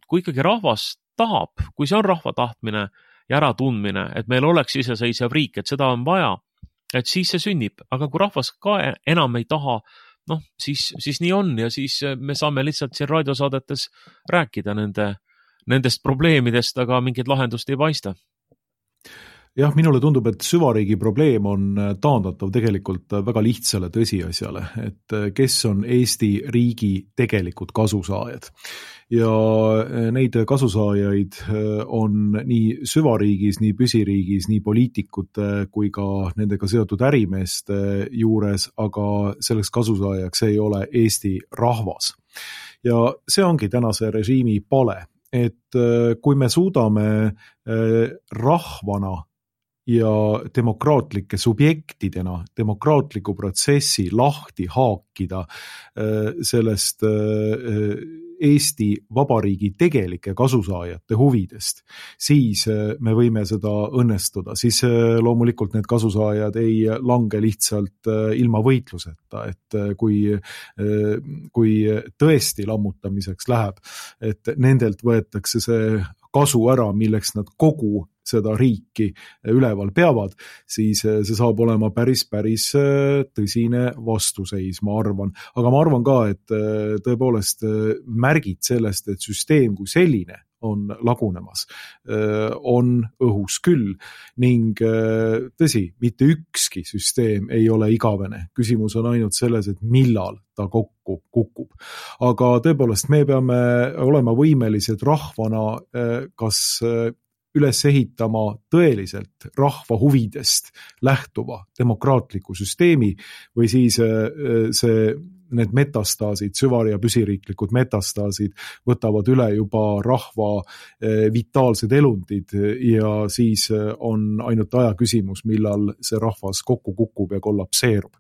kui ikkagi rahvas tahab, kui see on rahva tahtmine ja äratundmine, et meil oleks iseseisev riik, et seda on vaja, et siis see sünnib, aga kui rahvas ka enam ei taha, siis nii on ja siis me saame lihtsalt siin raadiosaadetes rääkida nendest probleemidest, aga mingit lahendust ei paista. Jah, minule tundub, et süvariigi probleem on taandatav tegelikult väga lihtsale tõsiasjale, et kes on Eesti riigi tegelikult kasusaajad. Ja neid kasusaajaid on nii süvariigis, nii püsiriigis, nii poliitikute kui ka nendega seotud ärimeeste juures, aga selleks kasusaajaks ei ole Eesti rahvas. Ja see ongi tänase režiimi pale, et kui me suudame rahvana ja demokraatlike subjektidena demokraatliku protsessi lahti haakida sellest Eesti Vabariigi tegelike kasusaajate huvidest, siis me võime seda õnnestuda. Siis loomulikult need kasusaajad ei lange lihtsalt ilma võitluseta, et kui tõesti lammutamiseks läheb, et nendelt võetakse see kasu ära, milleks nad kogu seda riiki üleval peavad, siis see saab olema päris tõsine vastuseis, ma arvan. Aga ma arvan ka, et tõepoolest märgid sellest, et süsteem kui selline on lagunemas, on õhus küll ning tõsi, mitte ükski süsteem ei ole igavene. Küsimus on ainult selles, et millal ta kokku kukub. Aga tõepoolest, me peame olema võimelised rahvana kas üles ehitama tõeliselt rahva huvidest lähtuva demokraatliku süsteemi või siis need metastaasid, süvari- ja püsiriiklikud metastaasid võtavad üle juba rahva vitaalsed elundid ja siis on ainult aja küsimus, millal see rahvas kokku kukub ja kollapseerub.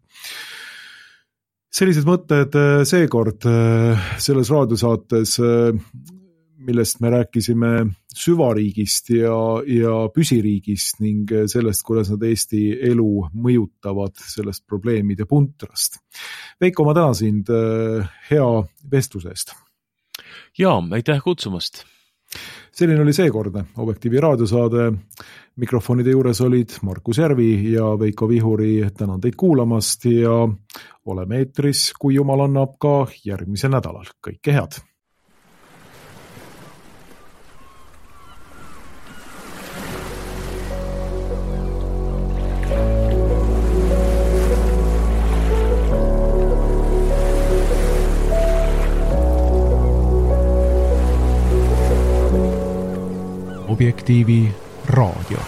Sellised mõtted seekord selles raadiosaates, millest me rääkisime süvariigist ja püsiriigist ning sellest, kuidas nad Eesti elu mõjutavad sellest probleemide puntrast. Veiko, ma tänan sind hea vestluse eest. Jaa, aitäh kutsumast. Selline oli seekordne Objektiivi raadiosaade. Mikrofonide juures olid Markus Järvi ja Veiko Vihuri. Tänan teid kuulamast ja oleme eetris, kui Jumal annab, ka järgmisel nädalal. Kõike head! Objektiivi raadio.